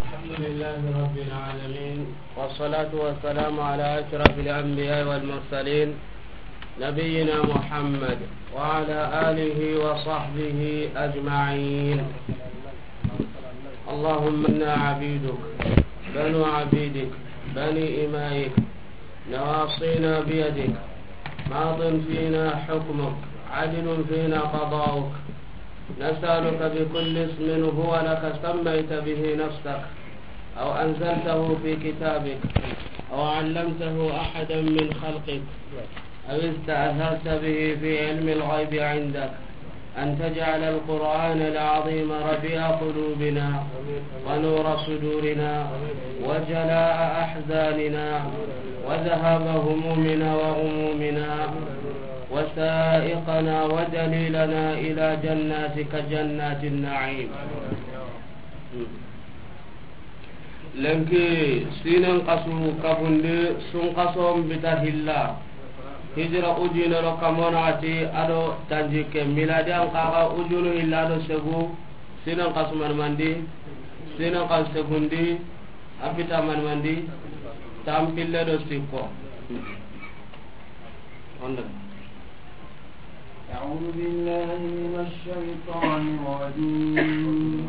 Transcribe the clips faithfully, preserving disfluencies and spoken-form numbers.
الحمد لله رب العالمين، والصلاة والسلام على أشرف الأنبياء والمرسلين، نبينا محمد وعلى آله وصحبه أجمعين. اللهم إنا عبيدك، بنو عبيدك، بني إمائك، نواصينا بيدك، ماض فينا حكمك، عدل فينا قضاؤك. نسألك بكل اسم هو لك سميت به نفسك، أو أنزلته في كتابك، أو علمته أحدا من خلقك، أو استأثرت به في علم الغيب عندك، أن تجعل القرآن العظيم ربيع قلوبنا، ونور صدورنا، وجلاء أحزاننا، وذهاب همومنا وغمومنا، وسائقنا ودليلنا إلى جناتك جنات النعيم. Lenki sinen xasu kabundi sun xason bita hilla. Hijira ujinero kamonati ado tanjikke miladi an kaga ujunu hilla do segu. Sinen xasu manmandi, sinen xasu segundi, a bita manmandi, tampille do sikko. Onda. أعوذ بالله من الشيطان الرجيم.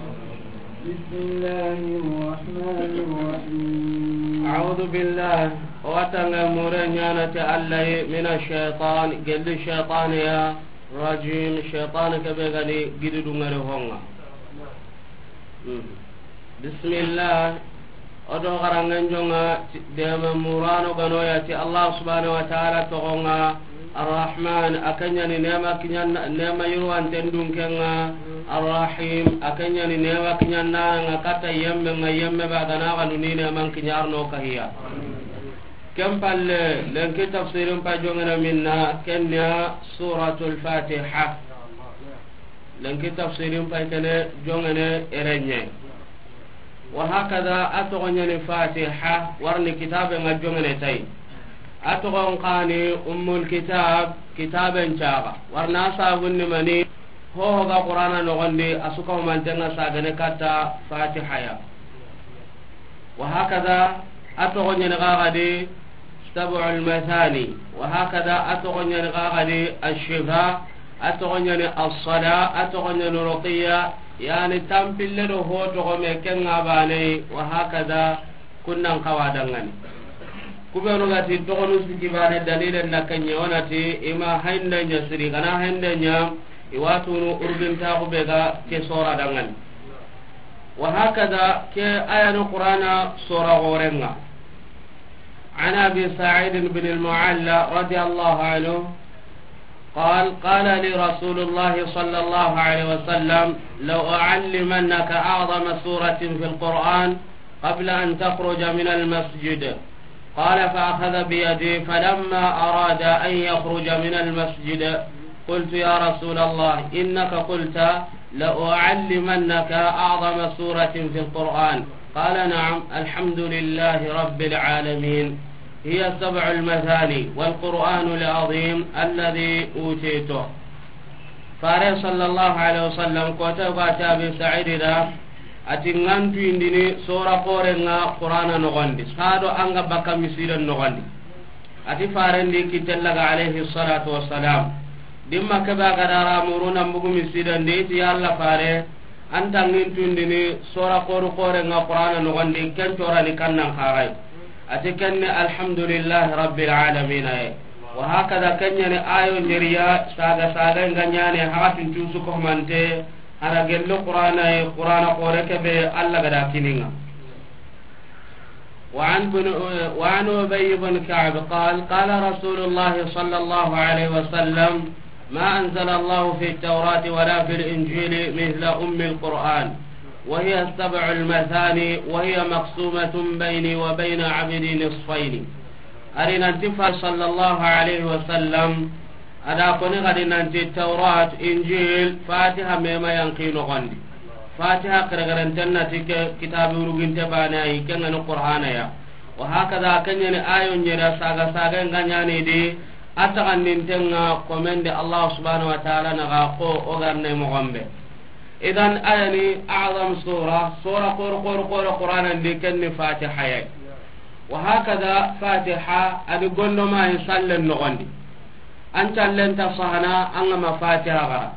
بسم الله الرحمن الرحيم. أعوذ بالله. Watanga mure ñanate Allah من الشيطان, gelli shaytan ya, rajim, shaytan ke be gani gidi dungare honga. Bismillah. Odo garangen jonga dema murano ganoya ti Allah subhanahu wa ta'ala togonga. Arrahman, akanyani nema kinyan, nema yurwanten dunkenga. Arrahim, akanyani nema kinyan nanga kata yemme nga yemme ba gana ganu ni neman kinyarno kahiya. Ken palle, lenki tafsirin pa jongena minna, kenya suratul Fatiha. Lenki tafsirin pay kene jongene erenye. Wa hakada a togo ñani Fatiha, warni kitabe nga jongene tay. A togon kani Ummul Kitab, kitaben caga. Warna sabunni mani, ho ga Qur'ana nogondi, asuka mantenga sagane kata Fatiha ya. Wa hakada a togo ñani gagadi Sab'ul Mathani. Wa hakada a togo ñani gagadi Ashifa. A togo ñani Assala. A togo ñani Ruqiya. Yani tampille do ho togo me kenga bane. Wa hakada kunnan kawa dangani. Kubenu gati togonu siki bane dalilen na kenye wonati ima hande ña siri gana hande ña. Iwatunu urgintaxu be ga ke sora dangani. Wa hakada ke ayanu Qur'ana sora gorenga. عن أبي سعيد بن المعلى رضي الله عنه قال: قال لي رسول الله صلى الله عليه وسلم: لأعلمنك أعظم سورة في القرآن قبل أن تخرج من المسجد. قال: فأخذ بيدي، فلما أراد أن يخرج من المسجد، قلت: يا رسول الله، إنك قلت: لأعلمنك أعظم سورة في القرآن. قال: نعم، الحمد لله رب العالمين، هي السبع المثاني والقرآن العظيم الذي أوتيته. Fare sallallahu alaihi wasallam, ko ta ga ta Abi Sa'id da, ati ngantu indini sora korenga Qur'ana nogondi, sado anga baka misiren nogondi. Ati farendi kitellaga alaihi salatu wassalam. Dimma kebe ga dara muruna mbugu misiren di, ti Alla fare, anta ngintu indini sora koru korenga Qur'ana nogondi, ken torani kannan kagai. Ati kenni alhamdulillahi rabbil alamin aye. Wa hakada kenyani ayo njeriya saga saga nga nyane hakatin tusu ko mante hara gello Qur'ana ye Qur'ana kore kebe Alla gada kininga. وعن بن، وعن أبي بن كعب قال: قال رسول الله صلى الله عليه وسلم: ما أنزل الله في التوراة ولا في الإنجيل مثل أم القرآن، وهي السبع المثاني، وهي مقسومة بيني وبين عبدي نصفين. Ari nanti fa sallallahu alaihi wasallam, ada koni gadi nanti Taurat, Injil, Fatiha mema yanki nogondi. Fatiha keregerenten nati ke kitabi uruginte bane ayi, kengani Qur'ana ya. Wa hakada kenyani ayo nyera saga saga nga nyani di, atagandintenga komende Allah subhanahu wa ta'ala naga ko ogarne mogombe. Idan, a ya ni a'zam sura, sura kor, kor, kor, Qur'anan di ken ni Fatiha ya. Wa hakada Fatiha a di gondoma yi sallen noxon di. An callen ta sahana, an ga ma Fatiha xara.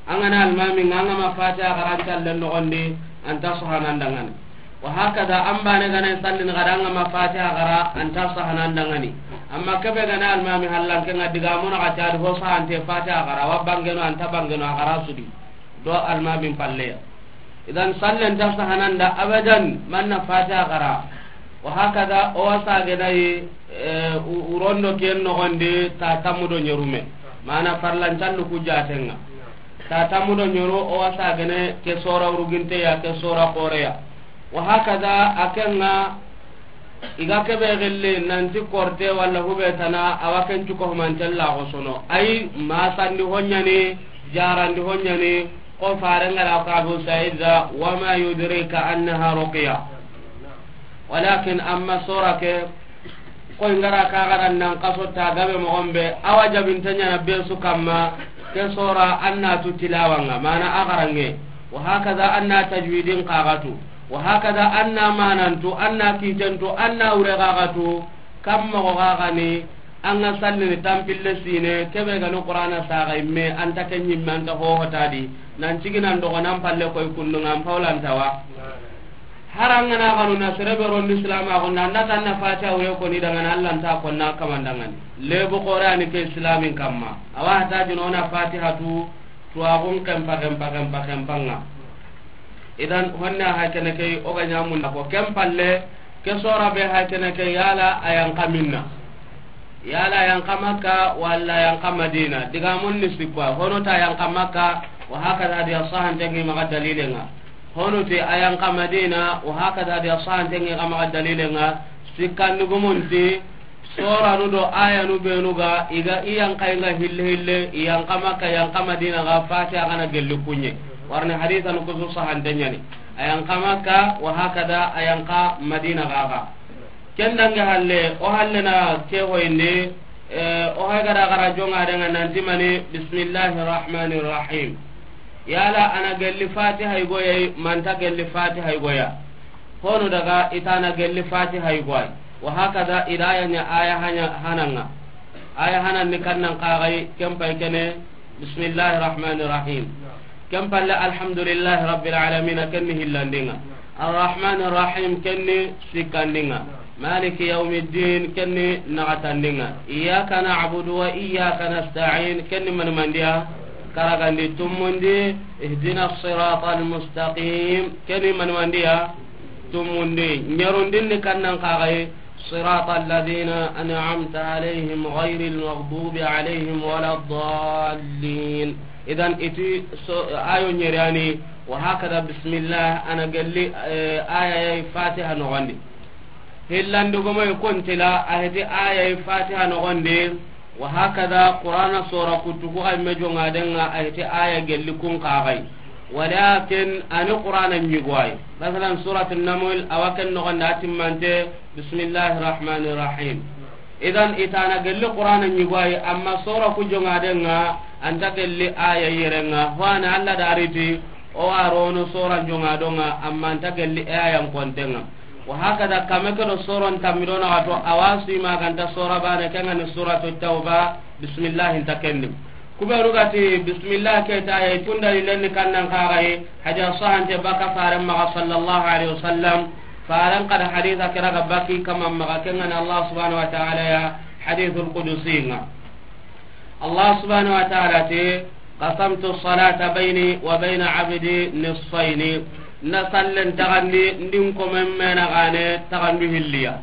An ga na almami nga, an ga ma Fatiha xara, an callen noxon di, an ta sahana an dangani. Wa hakada, an bane ga na sallini xara, an ga ma Fatiha xara, an ta sahana an dangani. Amma kebe ga na almami hallan ke nga diga mona xa ta di ho sahante Fatiha xara, wa bangeno, an ta bangeno, a xara sudi. Do almamin palleya. Idan sallen ta sahananda abadan manna Fatiha xara. Wa hakada o wasa gena yi, eh, u-, urondo ken noxon di ta tammu do ɲerume. Mana farlan callu ku jatenga. Ta tammu do ɲeru o wasa gene ke sora uruginte ya, ke sora xoreya. Wa hakada a kenga. I ga kebe gilli nanti korte walla hube tana, awa ken cuko humanten laxo sono. Ayi, masandi ho ɲani, jarandi ho ɲani, ko faren ga da ko Abu Sa'id da, wa ma yudrika annaha ruqya. Walakin amma sora ke, ko i ga ra ka xara nan kaso ta gabe moxon be, awa jabinte ɲana be su kamma, ke sora an na tu tilawanga, mana a xarange. Wa hakada an na tajwidin kaxatu. Wa hakada an na manantu, an na kitentu, an na wure xaxatu, kam moxo xaxani, an ga sallini tampille sine, kebe gani Qur'ana saxa imme, an ta ke ɲimme, an ta hohotadi, nan ciginan doxo, nan palle koy kundunga, an pawlantawa. Har an ga na xanu na sere be rondi Islam a xo, nan da tan na Fatiha wure koni dangana, Allah nta konna kamandangani. Lebu Qur'ani ke Islamin kamma. Awa hata jino na Fatiha tu, tuwaxun kempa, kempa, kempa, kempanga. Idan, honna ha kene ke, o ga ɲamunda ko ken palle, ke sora be ha kene ke, yala a yan ka minna. Yala a yan ka Makka, walla a yan ka Madina. Diga mun ni sikwa, hono ta yan ka Makka, wa hakada hadiya sahantengi maxa dalilenga. Hono te a yan ka Madina, wa hakada hadiya sahantengi maxa dalilenga. Sikkandugumunti, Soranu do ayanu benu ga, i ga i yan ka, i ga hille hille, i yan ka Makka, yan ka Madina ga, Fatiha ga na gelli kunɲe. Warni hadisanu kusu sahante ɲani. A yan ka Makka, wa hakada a yan ka Madina ga ga. Ken dange halle, o halle na ke hoyindi, eh, o hay ga da xara jonga denga nanti mani, bismillahir rahmanir rahim. Yala a na gelli Fatiha i goyai, manta gelli Fatiha i goya. Hono daga i ta na gelli Fatiha i goy. Wa hakada, i da ya ɲa aya hanya hananga. Aya hanan ni kannan kaxay, ken pay kene, bismillahir rahmanir rahim. Ken palle, alhamdulillahi rabbil alamin, ken ni hillandinga. Arrahmanir rahim, ken ni sikkandinga. Maliki yawmiddin, ken ni naxatandinga. Iyyaka na'budu wa iyyaka nasta'in, ken ni manmandiya, karagandi tumundi, ihdinas siratal mustaqim, ken ni manmandiya, tumundi, ɲerundin ni kannan kaxay, siratal ladina an'amta alayhim ghayril maghdubi alayhim waladdallin. Idan iti so, ayo ɲeriyani, wa hakada bismillah, a na gelli, eh, ayay Fatiha noxondi. Hillandugumoy kontila, a heti ayay Fatiha noxondi, Wa hakada, Qur'ana sora kuttu ku xay me jonga denga, a heti aya gelli kun kaxay. Walakin ani Qur'ana ɲigoy. Masalan, Surat Naml, awa ken noxonda a timmante, bismillahir rahmanir rahim. Idan i ta na gelli Qur'ana ɲigoy, amma sora ku jonga denga, anta gelli aya yerenga. Ho ana Allah dariti, o arono sora jonga donga, amma anta gelli aya kontenga. Wa hakada, kame ke do soron tammi do naxato, awa sima ganta sora bane, ken ga ni Suratu Tawba, bismillah nta kenni. Kubenu gati bismillah ke ta ye, kunda lilenni kannan kaxay, haja sahante baka faren maxa sallallahu alaihi wasallam, faren kada haditha kira ga baki kaman maxa, ken ga ni Allah subhanahu wa ta'ala ya, hadithul qudusi nga. Allah subhanahu wa ta'ala ti, qasamtu salata bayni wa bayna abdi nisfayni. Na sallen taxandi, ndin komen mena gane taxandu hilliya.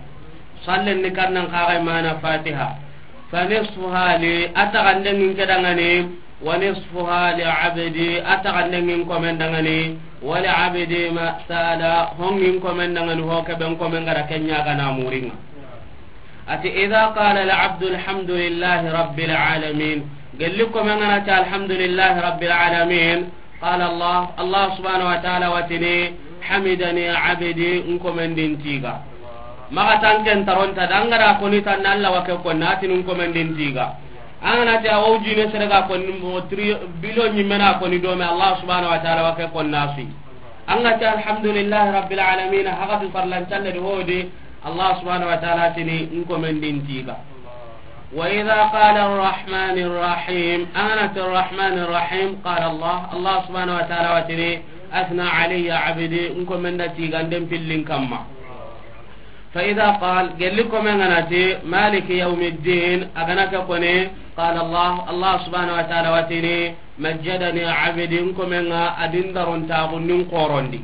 Sallen ni kannan kaxay mana Fatiha. Fa nisfuha li, a taxanden ngin ke dangani, wa nisfuha li abdi, a taxanden ngin komen dangani, wa li abdi ma sala, hongin komen dangani, ho keben komen gara kenya gana muringa. Ati, idha qala al-abdu alhamdulillahi rabbil alamin. Gelli komen ga na ti alhamdulillahi rabbil alamin. Qala Allah, Allah subhanahu wa ta'ala wa tini, hamidani abdi, n komen di n tiga. Maxa tanken taronta, dangara koni tan Allah wa ke konna, a tini n komen di n tiga. An ga na ti a wo jine sere ga konni mo tri-, billion ɲimme na konni do me, Allah subhanahu wa ta'ala wa ke konna su yi. An ga ti alhamdulillahi rabbil alamin, haga du farlan talle di hodi, Allah subhanahu wa ta'ala tini, n ko men din tiga. Wa idha qala arrahmanir rahim, an ga na ti arrahmanir rahim, qala Allah, Allah subhanahu wa ta'ala wa tini, athna alayya abdi, n ko men da tiganden pillin kamma. Fa idha qal, gelli komen ga na ti, maliki yawmiddin, a ga na ke koni, qala Allah, Allah subhanahu wa ta'ala wa tini, majjadani abdi, n komen ga a dindaron taxundin xorondi.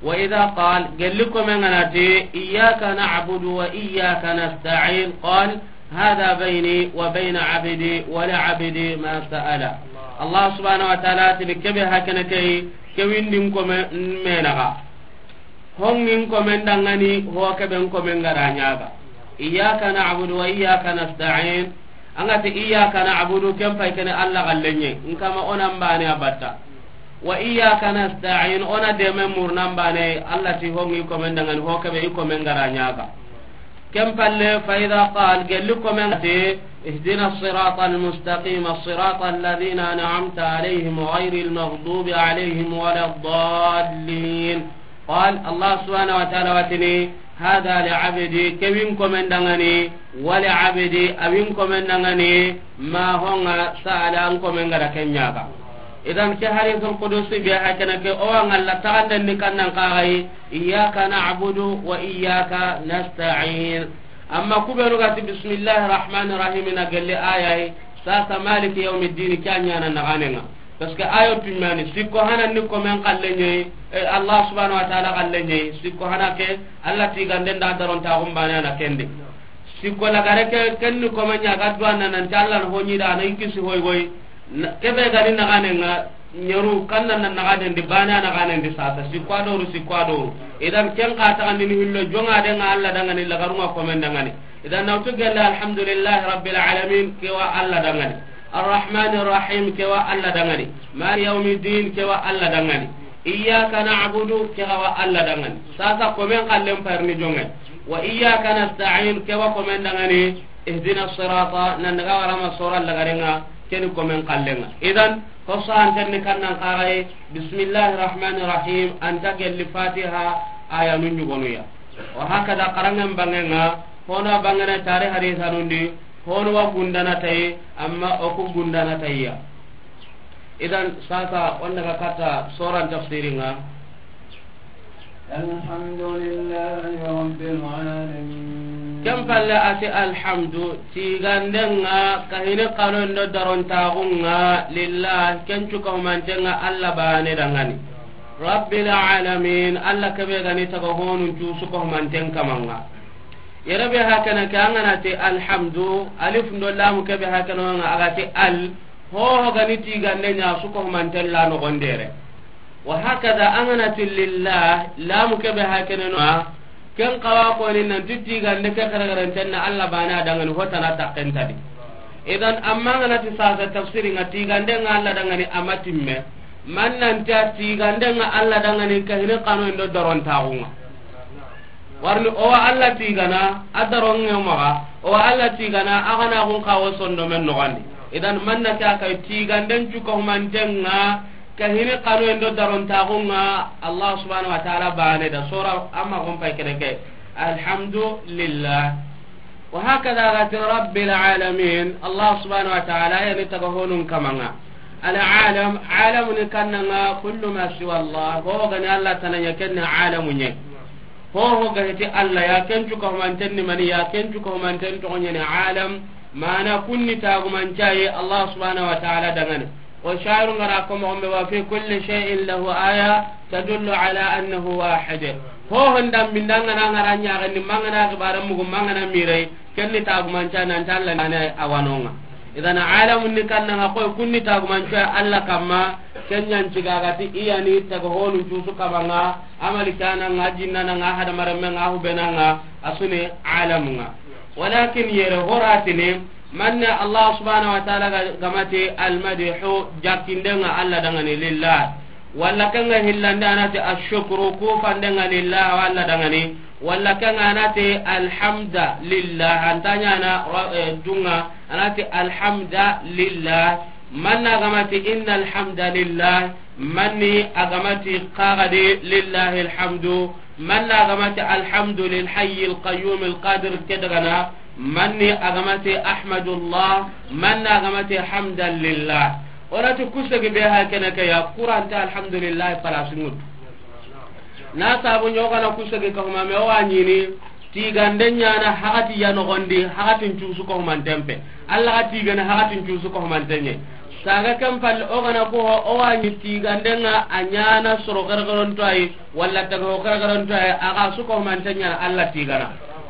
Wa idha qal, gelli komen ga na ti, iyyaka na'budu wa iyyaka nasta'in, qal, hadha bayni wa bayna abdi wa li abdi ma sa'ala. Allah subhanahu wa ta'ala tini kebe hakene kei, ke windin komen me naxa. Hongin komen dangani, ho keben komen ga ra ɲaga. Iyyaka na'budu wa iyyaka nasta'in. An ga ti iyyaka na'budu, ken pay kene Allah gallenye. N kama o nan bane a batta. Wa iyyaka nasta'in, o na deme murnan bane, Allah ti hongin komen dangani, ho kebe i komen ga ra ɲaga. Ken palle, fa idha qal, gelli komen ga ti, ihdina siratal mustaqim, siratal ladhina an'amta alayhim ghayril maghdubi alayhim waladdallin. Qal, Allah subhanahu wa ta'ala wa tini, hadha li abdi, ke win komen dangani, wa li abdi, a win komen dangani, ma honga sa'ala, n komen ga ra ken ɲaga. Idan ke hadithul qudusi be hakene ke, o wa ngalla taxanden ni kannan kaxayi, iyyaka na'budu wa iyyaka nasta'in. Amma ku benu ga ti bismillahir rahmanir rahim na gelli ayayi, sasa maliki yawmiddin, ke a ɲana naxanen ŋa. Parce que ayo tuɲani, sikko hana ni komen xalle ɲeyi, eh, Allah subhanahu wa ta'ala xalle ɲeyi, sikko hana ke, Allah tiganden da daron taxun bane na kende. Sikko lagare ke, ken ni komen ɲa ga duwana nan ti Allah na ho ɲi da na i kisi hoy goy. Na, kebe ga ni naxanen ŋa, ɲeru kannan na naxanen di, bane naxanen di sasa, sikko a doru, sikko a doru. Idan ken xa taxandini hillo, jonga den ŋa Allah dangani, lagarun ŋa komen dangani. Idan na wutu gelle, alhamdulillahi rabbil alamin, ke wa Allah dangani. Arrahmanir rahim, ke wa Allah dangani. Maliki yawmiddin, ke wa Allah dangani. Iyyaka na'budu, ke wa Allah dangani. Sasa komen xallen parni jonge. Wa iyyaka nasta'in, ke wa komen dangani. Ihdina sirata, nan daga warama sora lagarenga, keni komen kallenga. Idan, ko sahanten ni kannan kaxaye, bismillahir rahmanir rahim, anta gelli Fatiha aya nun ɲugonuya. Wa hakada, xarangen bangenga, hono a bangene tari hadithanundi, hono wa gundana tayi, amma o ku gundana tayiya. Idan sasa, wanda ga katta soran tafsiringa. Alhamdulillahi rabbil alamin. Ken palle a ti alhamdu, tigandenga, kahini xanon do darontaxunga, lillah, ken cukahumantenga, Allah bane dangani. Rabbil alamin, Allah kebe gani taga honun cu sukahumanten kamanga. Yere be hakana ke, an ga na ti alhamdu, alif ndo lamu kebe hakana nga, a ga ti al, ho ho gani tigande ɲa sukahumanten la nogondere. Wa hakada, an ga na ti lillah, lamu kebe hakene no, ken kawa koni nan ti tigande ke xerexerentenna Allah bane a dangani, ho tana takkentadi. Idan, amma an ga na ti sasa tafsiringa, tigandenga Allah dangani, a ma timme. Man nan ti a tigandenga Allah dangani, kahini xano indo darontaxunga. Warni owa Allah tigana, a daronge maxa, owa Allah tigana, a gana xun xawo sondomen noxandi. Idan, manna ke a kay tiganden cukahumantenga, kahini xano indo darontaxunga, Allah subhanahu wa ta'ala bane da sora, amma xon pay kene ke. Alhamdulillah. Wa hakada gati rabbil alamin, Allah subhanahu wa ta'ala yani taga honun kamanga. Al alam, alamuni kannanga kullu ma siwa Allah, ho gani Allah tananya kenne alamunye. Ho ho ga heti Allah ya, ken cukahumanten ni mani ya, ken cukahumanten toxoɲeni alam, mana kunni tagumancaye Allah subhanahu wa ta'ala dangani. O shairu ngara ko mo be, wa fi kulli shay'in lahu aya tadullu ala annahu wahid. Ho honda mindanga na ngara ɲaxandi, mangana xibara mugu, mangana mirai, kenni tagumanca nan talla nane awanonga. Idan alamun ni kannanga koy kunni tagumanca Allah kamma, kenyan cigagati iyani taga honu cusu kabanga, amali kananga, jinnananga, hadamarenmenga, hubenanga, asuni alamunga. Walakin yere horatini, manne Allah subhanahu wa ta'ala ga-, gamati almadihu, jakindenga Allah dangani lillah. Walla ken ŋa hillandi a na ti ashukru, ku fanden ŋa lillah, walla dangani. Walla ken ŋa a na ti alhamda lillah, an ta ɲaana, eh, dunŋa, a na ti alhamda lillah. Manna a ga ma ti inna alhamda lillah, manni a ga ma ti qagadi lillahi alhamdu, manna a ga ma ti alhamdu lil hayyi alqayyum alqadir ke dagana, manni a ga ma ti ahmadullah, manna a ga ma ti hamdan lillah. O na ti kusegi be ha kene ke ya, kuranta alhamdulillah palasingut. Na sabu ɲa o ga na kusegi ka huma me o wa ɲini, tigande ɲaana hakati ya noxondi, hakatin cusu ko humanten pe. Alla ga tigene hakatin cusu ko humanten ɲe. Saga ken palle o ga na ko o wa ɲi tigande ŋa a ɲaana soro gargaronto ayi, walla taga ho gargaronto ayi, a ga su ko humanten ɲaana Alla tigana.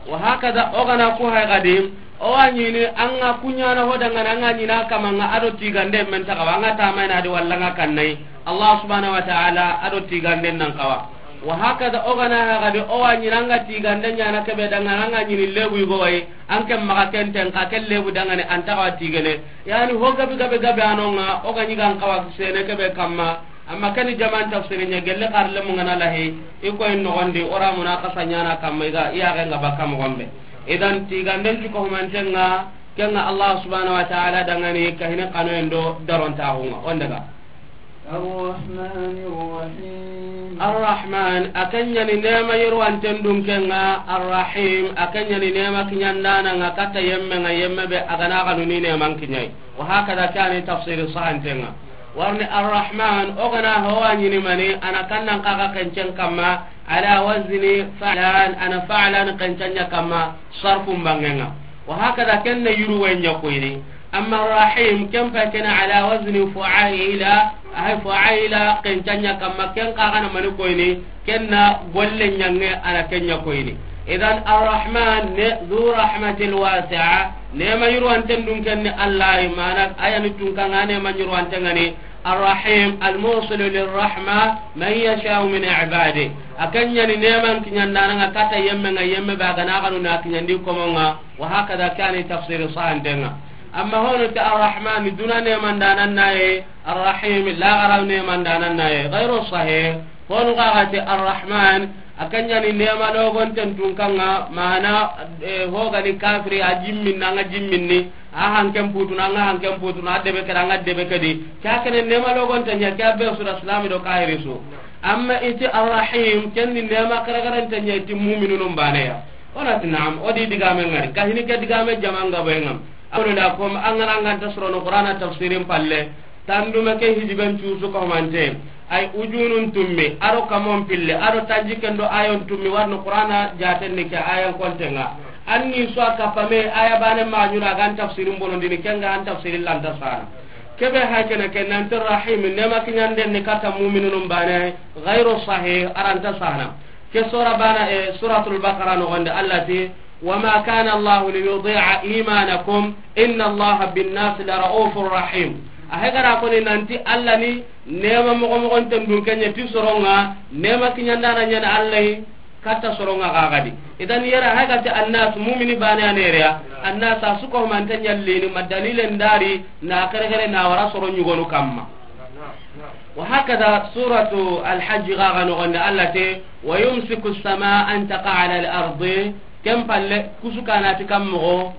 Wa hakada o ga na ko hay gadi, o wa ɲini an ga ku ɲaana ho dangana an ga ɲina kama ŋa a do tigande men taga wa an ga tamayna di walla an ga kannai. Allah subhanahu wa ta'ala a do tiganden nan kawa. Wa hakada o ga na ha gadi o wa ɲini an ga tigande ɲaana kebe dangana an ga ɲini lebu yugo wayi, an ken maxa ken ten ka ken lebu dangani an taxa tigene. Yani ho gabe gabe gabe a no ŋa o ga ɲi gan kawa sene kebe kamma. Amma kani jaman tafsiri ɲa gelle xarle mu ŋa na lahi i koy noxondi o ra muna xasa ɲaana kamma i ga i yaxe ŋa bakka moxon be. Idan tiganden cuko humanten ŋa ken ŋa Allah subhanahu wa ta'ala dangani kahini kanoyen do darontaxu ŋa. On daga. الرحمن الرحيم. Arrahman, a ken ɲa ni nema yirwanten dunken ŋa. Arrahim, a ken ɲa ni nema kiɲandana ŋa katta yemme ŋa, yemme be a ga na xanu ni neman kiɲai. Wa hakada kani tafsiri sahanten ŋa. Warni Arrahman, o ga na ho wa ɲini mani, a na kannan kaga kencen kamma, ala wazni fa'lan, a na fa'lan kencen ɲa kamma, sarfun bangen ŋa. Wa hakada ken ne yuru wen ɲa koyni. Amma Rahim, ken pa ken ala wazni fu'aila, ay fu'aila, kencen ɲa kamma, ken ka ga na mani koyni, ken na golle ɲange a na ken ɲa koyni. Idan Arrahman ne, zu rahmatil wasi'a, nema yirwanten dunken ni Allah, mana aya ni tunka ŋa nema yirwanten ŋa ni, Arrahim, almusilu lirrahma man yasha'u min ibadi. A ken ɲa ni neman kiɲandana ŋa katta yemme ŋa, yemme be a ga na xanu na kiɲandi komo ŋa. Wa hakada kani tafsiri sahanten ŋa. Amma hono ti Arrahman duna nemandanan naye, Arrahim laxara nemandanan naye. Gairu sahih. Honu xa ga ti Arrahman, a ken ɲa ni nema logonten tunkan ŋa, mana, eh, ho ga ni kafiri a jimminna ŋa jimminni, a hanken putuna ŋa hanken putuna, a debe kedi ŋa debe kedi. Ke a kene nema logonten ɲa, ke a be su da silami do kahiri su. Amma i ti Arrahim, ken ni nema karagarante ɲa i ti muminunun baneya. O na ti naam, o di digame ŋari. Kahini ke digame jaman ga boy ŋam. Akono da kom an ga na an ga nta sorono Qur'ana tafsirin palle. Tandume ke hidiben cusu ko mante. Ay ujunun tummi, aro kamon pille, aro tanji kendo ayon tummi, warno Qur'ana jaten ni ke ayan konten ŋa. An ni so a kapame aya bane ma ɲuna gan tafsirin bonondini, ken ga an tafsirin lanta sana. Kebe ha kene ke nanti Rahim, nema kiɲanden ni katta muminunun bane, gairu sahih, a ra nta sana. Ke sura bana, eh, Suratul Baqara noxonde, Allah ti, "Wa ma kana Allahu li yudi'a imanakum, inna Allaha bin nasi la ra'ufur rahim." A hegara koni nanti Allah ni nema moxo moxonten dunken ɲa ti soron ŋa, nema kiɲandana ɲa na Allah yi, katta soron ŋa gagadi. Idan yere hegati annas, mumini bane a nereya, annas a suko mante ɲallini, ma dalilen dari, na kere kere na wara soron ɲugonu kamma. Wa hakada suratu Alhajji ga ga noxonde Allah te, "Wa yumsiku as-samaa an taqa'a ala al-ardi." Ken palle, kusu kana ti kam moxo,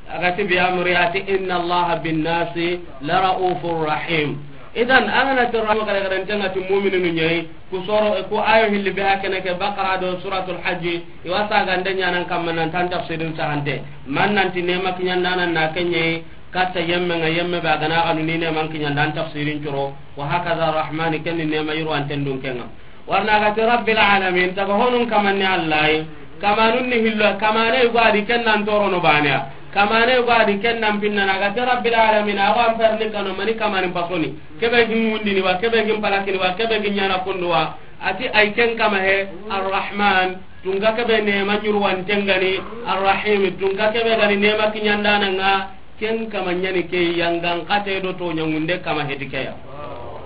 a ga ti bi amri a ti, "Inna Allaha bin nasi la ra'ufur rahim." Idan, an ga na ti rahma kare kare ntenga ti mu'mininu ɲayi, ku soro, ku ayo hilli be hakene ke Baqara do Suratul Hajji, i wa sagande ɲanan kamma nan tan tafsirin sahante. Man nan ti nema kiɲandanan na ken ɲayi, katta yemme ŋa, yemme be a ga na xanu ni neman kiɲandan tafsirin curo, wa hakaza Rahmani ken ni nema yirwanten dunken ŋa. Warna ga ti Rabbil alamin, taga honun kamanni Allah yi, kamanun ni hillo, kamane yugo a di ken nan torono baneya, kamane yugo a di ken nan pinnana, ga ti Rabbil alamin, a wa an perni kano mani kamani pasoni, kebe gin mundini wa, kebe gin palakini wa, kebe gin ɲana kundu wa, a ti ay ken kama he, Arrahman, tunga kebe nema yirwanten ga ni, Arrahim, tunga kebe ga ni nema kiɲandanan ŋa, ken kama ɲani ke yangan kate do to ɲangunde kama heti ke ya.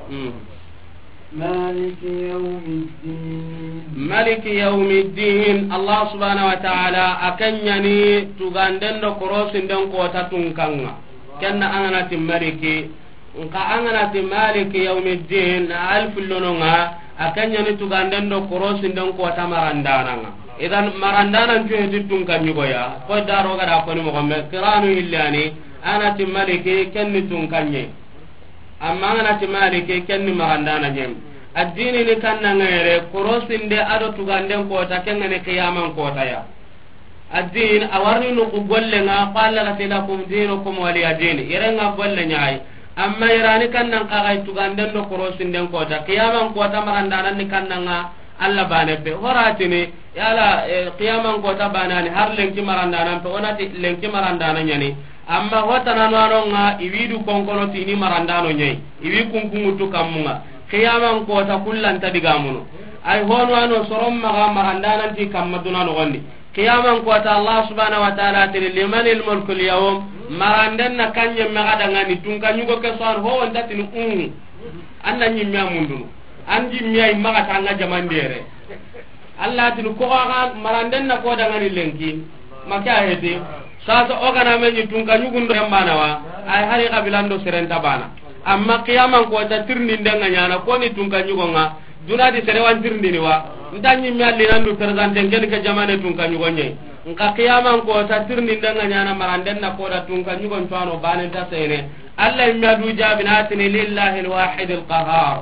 Hmm. مالك يوم الدين. Maliki yawmiddin. Allah subhanahu wa ta'ala a ken ɲani tuganden do korosinden kota tunkan ŋa. Ken na an ga na ti maliki. Nka an ga na ti Maliki yawmiddin, na alfu lono ŋa, a ken ɲa ni tuganden do korosinden kota marandanan ŋa. Idan marandanan cuheti tunka ɲugoya, ko daro ga da koni moxo me, kiranu hillani, a na ti Maliki ken ni tunka ɲe. Amma an ga na ti Maliki ken ni marandana ɲe. Addini ni kannan ŋa yere, korosinde a do tuganden kota, ken ŋa ni qiyaman kota ya. Addin, a warni nuku golle ŋa, qala lati lakum dinukum waliya din. Yere ŋa golle ɲayi. Amma yere ni kannan kaga tuganden do korosinden kota. Qiyaman kota marandanan ni kannan ŋa Allah bane pe. Horatini, yala, eh, qiyaman kota banani, har lenki marandanan pe, o na ti lenki marandana ɲa ni. Amma hotana no ano ŋa, i wi du konkono tini marandano ɲayi. I wi kunkungutu kammu ŋa. Qiyaman kota kullanta digamunu. Ay hono ano soron maga marandanan ti kamma duna nogondi. Qiyaman kota Allah subhanahu wa ta'ala tini, "Limanil mulkul yawm?" Maranden na kanye maga dangani, tunka ɲugo ke so an ho wonta tini, "Un." An na ɲimme a mundunu. An jimme ay maga tanga jamandere. Allah tini, "Ko ga maranden na ko dangani lenki." Maka heti. Sasa o ga na me ɲi tunka ɲugun do bana wa. Ay hari kabilan do serenta bana. Amma qiyaman kota tirni ndenga ɲana, ko ni tunka ɲugo ŋa. Duna di sere wan tirindini wa? Nta ɲimme alli nan du présenté ken ke jamane tunka ɲugo ɲe. Nka qiyaman kota tirindinda ŋa ɲana maranden na koda tunka ɲugon cuano banen ta sene. Allah imme a du jabi na tini lillahi alwahid alqahar.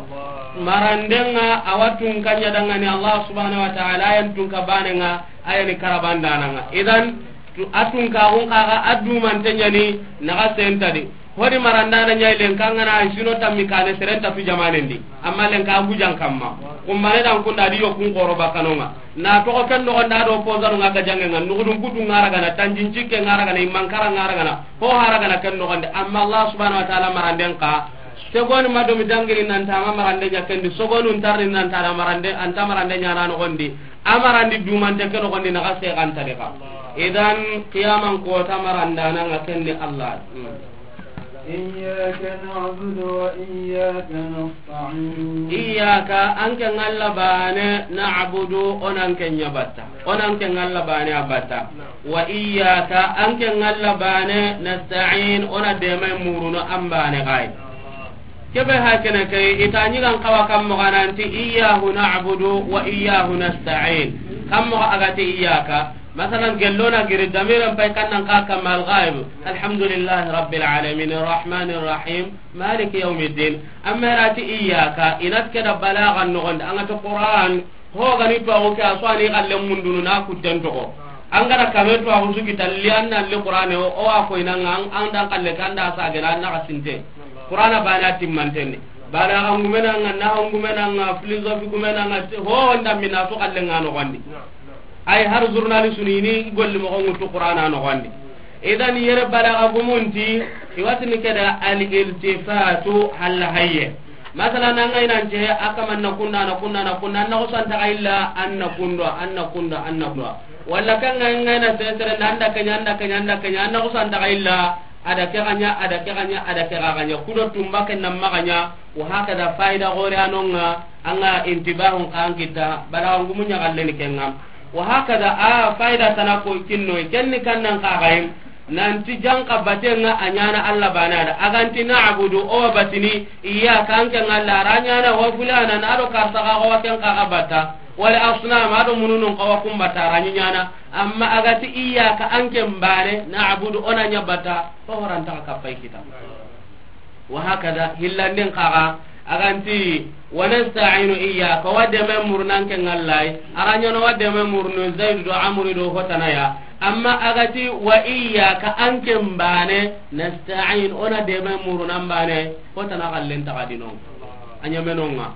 Maranden ŋa a wa tunka ɲa dangani Allah subhanahu wa ta'ala, a yan tunka banen ŋa, a yan karabandana ŋa. Idan tu, a tunka gun kaga a dumante ɲa ni naga sentadi. Hodi marandana ɲa yi lenka ŋa na sino tammi kane seren ta tu jamanen di. Amma lenka a gujan kamma. Kumbane dan kunda di yo kun koro bakano ŋa. Na togo ken nogondi a do pozano ŋa ga jange ŋa. Nugudun kutu ŋa ra gana, tanjin cikke ŋa ra gana, imankara ŋa ra gana. Ho hara gana ken nogondi. Amma Allah subhanahu wa ta'ala maranden ka. Segoni ma do mi dangiri nan ta ma marande ɲa ken di. Sogonu ntarni nan ta na marande, anta marande ɲa na nogondi. A marandi dumante ken nogondi na ga se kan ta de ka. Idan qiyaman kota marandana ŋa ken ni Allah. Hmm. إياك نعبد وإياك نستعين. Iyyaka, an ke ŋa Alla baane, na'budu, o na an ke ɲa batta. O na an ke ŋa Alla baane a batta. Wa iyyaka, an ke ŋa Alla baane, nasta'in, o na deema muruno an baane xa yi. Ke be ha ke ne ke, i ta ɲi ga n xawa kan moxo ga na ti, iyyahu na'budu wa iyyahu nasta'in. Kan moxo a ga ti iyyaka. Masalan, gello na giri damiran pay kan nan xa kamma al-ghaib. Alhamdulillahi rabbil alamin, arrahmanir rahim, maliki yawmiddin. Amma i ra ti iyyaka, i na ti ke da balaga noxon di, an ga ti Qur'an, ho ga ni tuwaxu ke, a so a ni xalle mundunu na kutten toxo. An ga da kame tuwaxu su kita li, an na li Qur'ane, o, o wa ko i na ŋa, an, an da xalle ke, an da sa gena, an na xa sinte. Qur'ana baane a timmanten ni. Balaga ngume na ŋa, nahawu ngume na ŋa, philosophie ngume na ŋa, ho nda mina su xalle ŋa noxon di. Ay har journaliste ni ni golli moxo ŋutu Qur'ana noxon di. Idan yere balaga gumun ti, i wa ti ni ke da al-iltifatu halla hayye. Masalan, an ga i na nce a kaman na kunda, na kunda, na kunda, an na xusan ta xa illa, an na kunda, an na kunda, an na kunda. Walla kan ga i na sesere, an da ke ɲa, an da ke ɲa, an da ke ɲa, an na xusan ta xa illa, a da ke xa ɲa, a da ke xa ɲa, a da ke xa ɲa. Kudo tumba ke nan maxa ɲa, wa hakada fayda gore a no ŋa, an ga intibahun xa an kita, balaga ngumu ɲa xalle ni ke ŋa. Wa hakada a fayda tana ko kinno, ken ni kan nan xa xa yi, nan ti janka baten ŋa a ɲaana Alla baane a da. A ga nti na'budu, o wa batini, iyyaka, an ke ŋa Alla, a ra ɲaana wa fulana, na do karsa xa, o wa ken xa xa batta. Wala asnam, a do mununun xa wa kun batta, a ra ɲi ɲaana. Amma a ga ti iyyaka, an ke baane, na'budu, o na ɲa batta, o horan ta xa kapay kita. Wa hakada, hillanden xa ga, a ga nti, wa nasta'inu iyyaka, wa deema muruno an ke ŋa Alla yi, a ra ɲaana wa deema muruno Zaidu do Amru do hotana ya, amma a ga ti, wa iyyaka, an ke baane, nasta'in, o na deema muruno an baane, hotana xallen ta xa di no. A ɲaame no ŋa.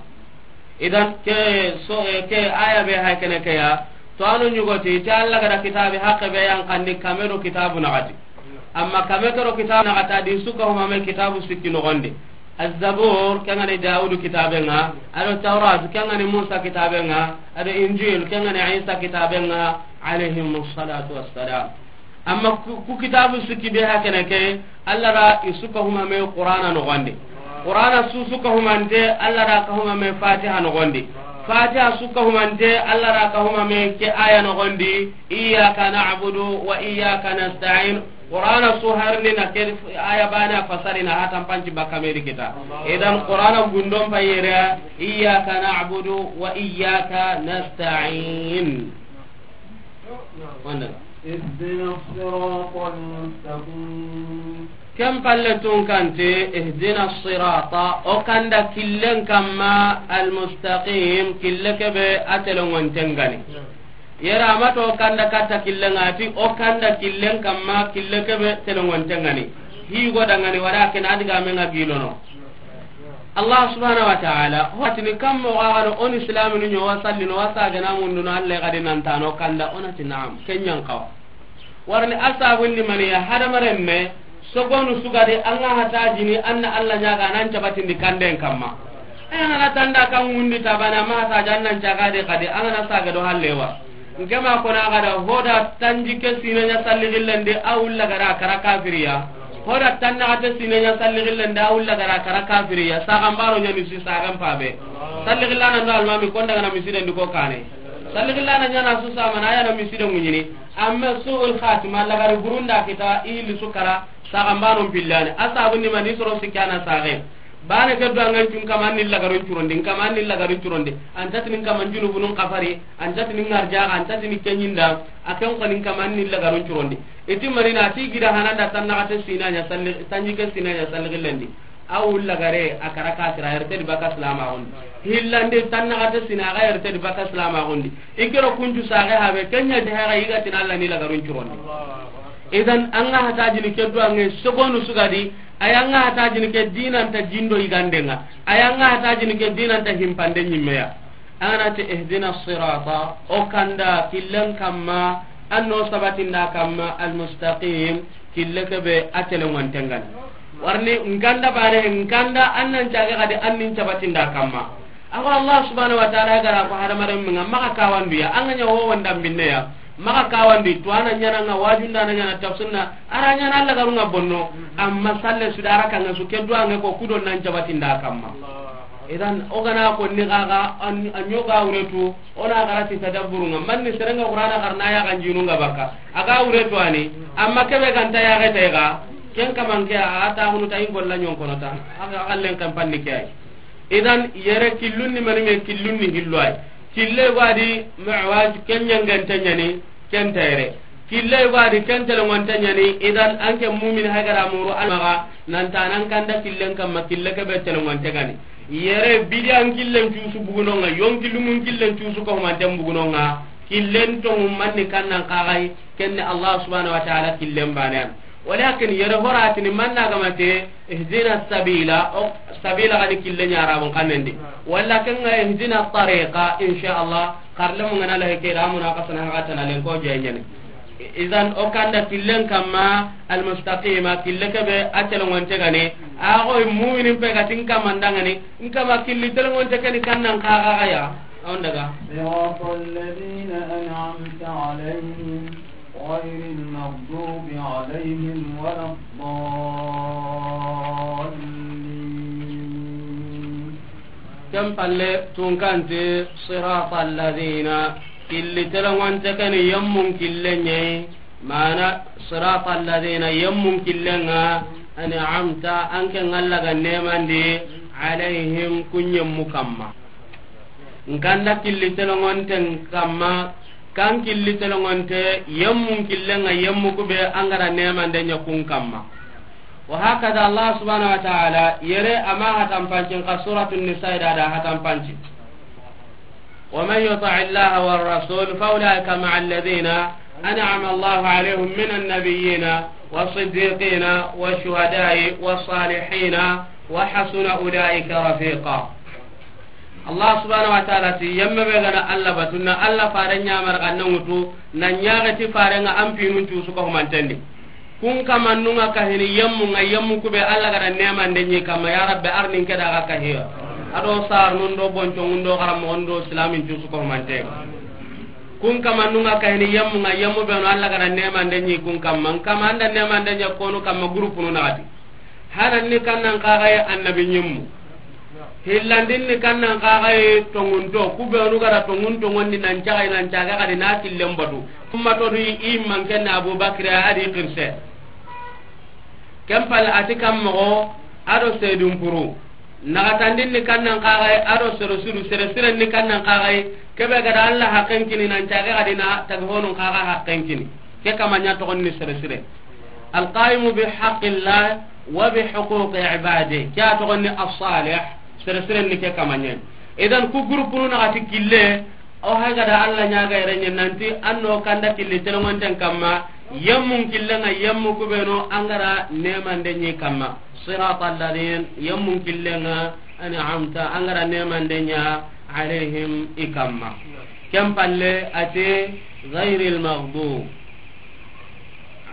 Idan ke so, eh, ke aya be hay kene ke ya, to anu ɲugoti, ti Alla ga da kitaabe haqqe be yan kandi kame do kitaabu naxati. Amma kame ke do kitaabu naxati a di su kahumame kitaabu sikki noxon di. Az-Zabur, ke ŋa ni Dawudu kitaabe ŋa, a do Tawrat, ke ŋa ni Musa kitaabe ŋa, a do Injil, ke ŋa ni Isa kitaabe ŋa, alayhimus salatu wassalam. Amma ku, ku kitaabu sikki be ha kene ke, Alla da i su kahumame Qur'ana noxon di. Qur'ana su su kahumante, Alla da kahumame Fatiha noxon di. Fatiha su kahumante, Alla da kahumame ke aya noxon di, iyyaka na'budu wa iyyaka nasta'in. Qur'ana su harni na ke aya bana fasari na hatan panci bakka me di kita. Idan Qur'ana gundon payere, iyyaka na'budu wa iyyaka nasta'in. Wanda. اهدنا الصراط المستقيم. Ken palle tun kante, ihdina sirata, o kanda killen kamma, almustaqim, kille kebe a telongonten gani. Yere a ma to o kanda katta killen ŋa, a ti o kanda killen kamma, kille kebe telongonten gani. Hi go dangani, walakin a diga me ŋa gilono. Allah subhanahu wa ta'ala, ho a tini kammo ga gano, o ni silaminu ɲo wa sallino, wa sagana munduno, Allah gadi nantano kanda, o na ti na'am, ken ɲan kawa. Warni a sabun ni mani ya, hadamaren me, sogonu sugadi, an ga hatajini, an na Allah ɲaga, nan cabatindi kanden kamma. Aya ngana tanda kan ngundi tabana ma hataja an nan caga de kadi, an gana saga do hallewa. Nke ma kona gada hoda tanji ke sine ɲa salli gillende, a wulla gara kara kafiriya. Hoda tanna gate sine ɲa salli gillende, a wulla gara kara kafiriya. Sagan baro ɲa misi sagan pabe. Salli gillana ndo almami konda gana misi den di ko kane. Salli gillana ɲa na su samana, a ya na misi den ŋuɲini. Amma su'ul khatima, lagari burunda kita, i hilli su kara, sagan banon pillani. A sabun ni mani soro sikana sage. Bane ke duwangen cun kama an ni lagarun curondi, n kama an ni lagarun curondi. An tatini n kama n junubunun kafari, an tatini n arjaga, an tatini kenyinda, a ken koni n kama an ni lagarun curondi. Iti marina, a ti gida hananda tannaxate sinaɲa salli, tanjike sinaɲa salli gillendi. A wulla gare, a kara kafira, a yerte di baka silama gundi. Hillandi tannaxate sina, a ga yerte di baka silama gundi. Ikiro kuncu sage habe, kenya de haga yiga tin Allah ni lagarun curondi. Idan, an ga hatajini ke duwange, sogonu sugadi, ay an ga hatajini ke dinanta jindo yigandenga, ay an ga hatajini ke dinanta himpande ɲimmeya. An gana ti ihdina sirata, o kanda killen kamma, an no sabatinda kamma, almustaqim, kille kebe a telengontengan. Warni, n kanda bane, n kanda an nan cage kadi an nin cabatinda kamma. Awa Allah subhanahu wa ta'ala gara ko hadamaren minga, maka kawandu ya, an ga ɲa ho wanda binne ya, maka kawandu, to ana ɲana nga wajunda na ɲana tafsunna, ara ɲana Allah garunga bonno, amma salle su dara kanga su ke duwange ko kudo nan cabatinda kamma. Idan, o gana ko ni gaga, an, an yoga wuretu, ona gara ti tadabburunga, manni serenga Qur'ana garna ya ganjinunga baka, aga wuretu ani, amma kebe ganta ya gete ga, ken kamanke a ta hunu ta ingolla ɲon kono ta, aga, aga len kampanni ke ay. Idan, yere killun ni mani me, killun ni hillo ay. Kille gwadi Mi'raj, ken ɲangante ɲani, ken tayre. Kille gwadi ken telengonte ɲani, idan an ke mumin hagara muru almaga, nanta nan kanda killen kamma, kille kebe telengonte gani. Yere bidiyan killen cusu bugunonga, yonki lumun killen cusu ko manten bugunonga, killen to manni kannan kagai, kenne Allah subhanahu wa ta'ala killen banen. Walakin yere horatini manna gamate, ihdina sabila, o sabila gani kille ɲa arabun kanendi. Wala kenga ihdina tariqa, insha Allah, karle mungana lahi ke ramuna kasana haka tana len ko jenyani. Idan o kanda killen kamma, almustaqima, kille kebe a telengonte gani. Ago mu'minin pe gatin kamandangani, nkama killi telengonte kani kannan kaga ya. On daga. صراط الذين أنعمت عليهم غير المغضوب عليهم ولا الضالين. Ken palle tunkante, صراط الذين, killi telengonte kani yemmun killen ɲayi, mana صراط الذين yemmun killenga, أنعمت, an ke ngalla ga nemandi, عليهم, kun yemmu kamma. Nkanda killi telongonten kamma, kan killi telongonte, yemmun killenga yemmu kube angara nemande ɲa kun kamma. Wa hakada Allah subhanahu wa ta'ala, yere ama hatan pancin ka Suratun Nisa da da hatan panci. ومن يطع الله والرسول فأولئك مع الذين أنعم الله عليهم من النبيين والصديقين والشهداء والصالحين وحسن أولئك رفيقا. Allah subhanahu wa ta'ala ti, yemme be gana Allah batu, na Allah fare ɲamar ga na ŋutu, na ɲaga ti fare nga an pinun cusu ko humantendi. Kun kamannunga kahini yemmu nga yemmu kube Allah gada nemande ɲi kamma, ya Rabbi, arnin keda ga kahiya. Ado sar nun do bonco nun do garam nun do islamin cusu ko humante. Kun kamannunga kahini yemmu nga yemmu be no Allah gada nemande ɲi kun kamma, kamanda nemande ɲa konu kamma groupe nu nagati. Hanan ni kannan kagaye annabi ɲimmu. Hillandin ni kannan kagaye tongunto, kubenu gara tongun tongondi nan cagay nan caga kadi na killen batu. Ummato du i manken na Abubakar adi kirse. Ken palle a ti kan moxo, a do seedun puru. Naxatandin ni kannan xaxay, a do sere suru, sere siren ni kannan xaxay. Kebe ga da Alla haqqen kini nan cage ga di na tagi honun xaxa haqqen kini. Ke kama ɲa toxon ni sere sire. Alqaimu bi haqqillah wa bi huquqi ibadi. Ke a toxon ni as-salih, sere siren ni ke kama ɲa. Idan ku groupe nu naxati kille, o hay ga da Alla ɲaga yere ɲe nanti an no kanda killi telongonten kamma, yemmun killenga yemmu kubenu an ga da nemande ɲi kamma. Sirata alladhin, yemmun killenga an'amta, an ga da nemande ɲa alayhim i kamma. Ken palle a ti ghayril maghdub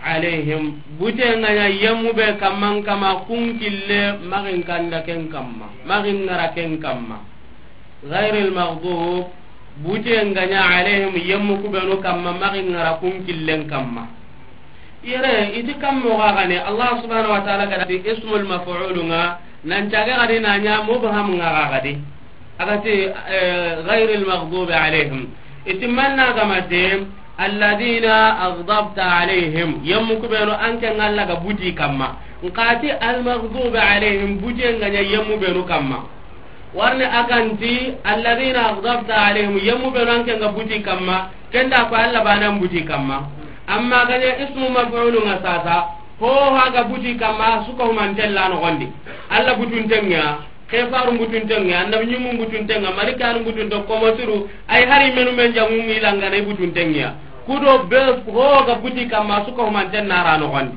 alayhim, bute nga ɲa yemmu be kamman kama kun kille maxin kanda ken kamma, maxin ngara ken kamma. Ghayril maghdub, bute nga ɲa alayhim yemmu kubenu kamma maxin ngara kun killen kamma. Yere, i ti kan moxo ga ne, Allah subhanahu wa ta'ala ga da ti ismul maf'ulu nga, nan cage ga di na ɲa mubham nga ga di. A ga ti, eh, ghayril maghdubi alayhim. I ti manna ga ma ti, alladhina aghdabta alayhim. Yemmu kubenu an ke nga Alla ga buti kamma. Nxa ti al maghdubi alayhim, bute nga ɲa yemmu benu kamma. Warni a ga nti, alladhina aghdabta alayhim, yemmu benu an ke nga buti kamma, ken da ko Alla banan buti kamma. Amma ga ɲa ismu maf'ulu nga sasa, ho ha ga buti kamma, su ka humanten la noxon di. Alla butunten ŋa, kefaru butunten ŋa, annabi ɲimmu butunten ŋa, malikanu butunten ŋa, komo suru, ay hari menu men jamu mi langa na i butunten ŋa. Kudo be ho ga buti kamma, su ka humanten na ra noxon di.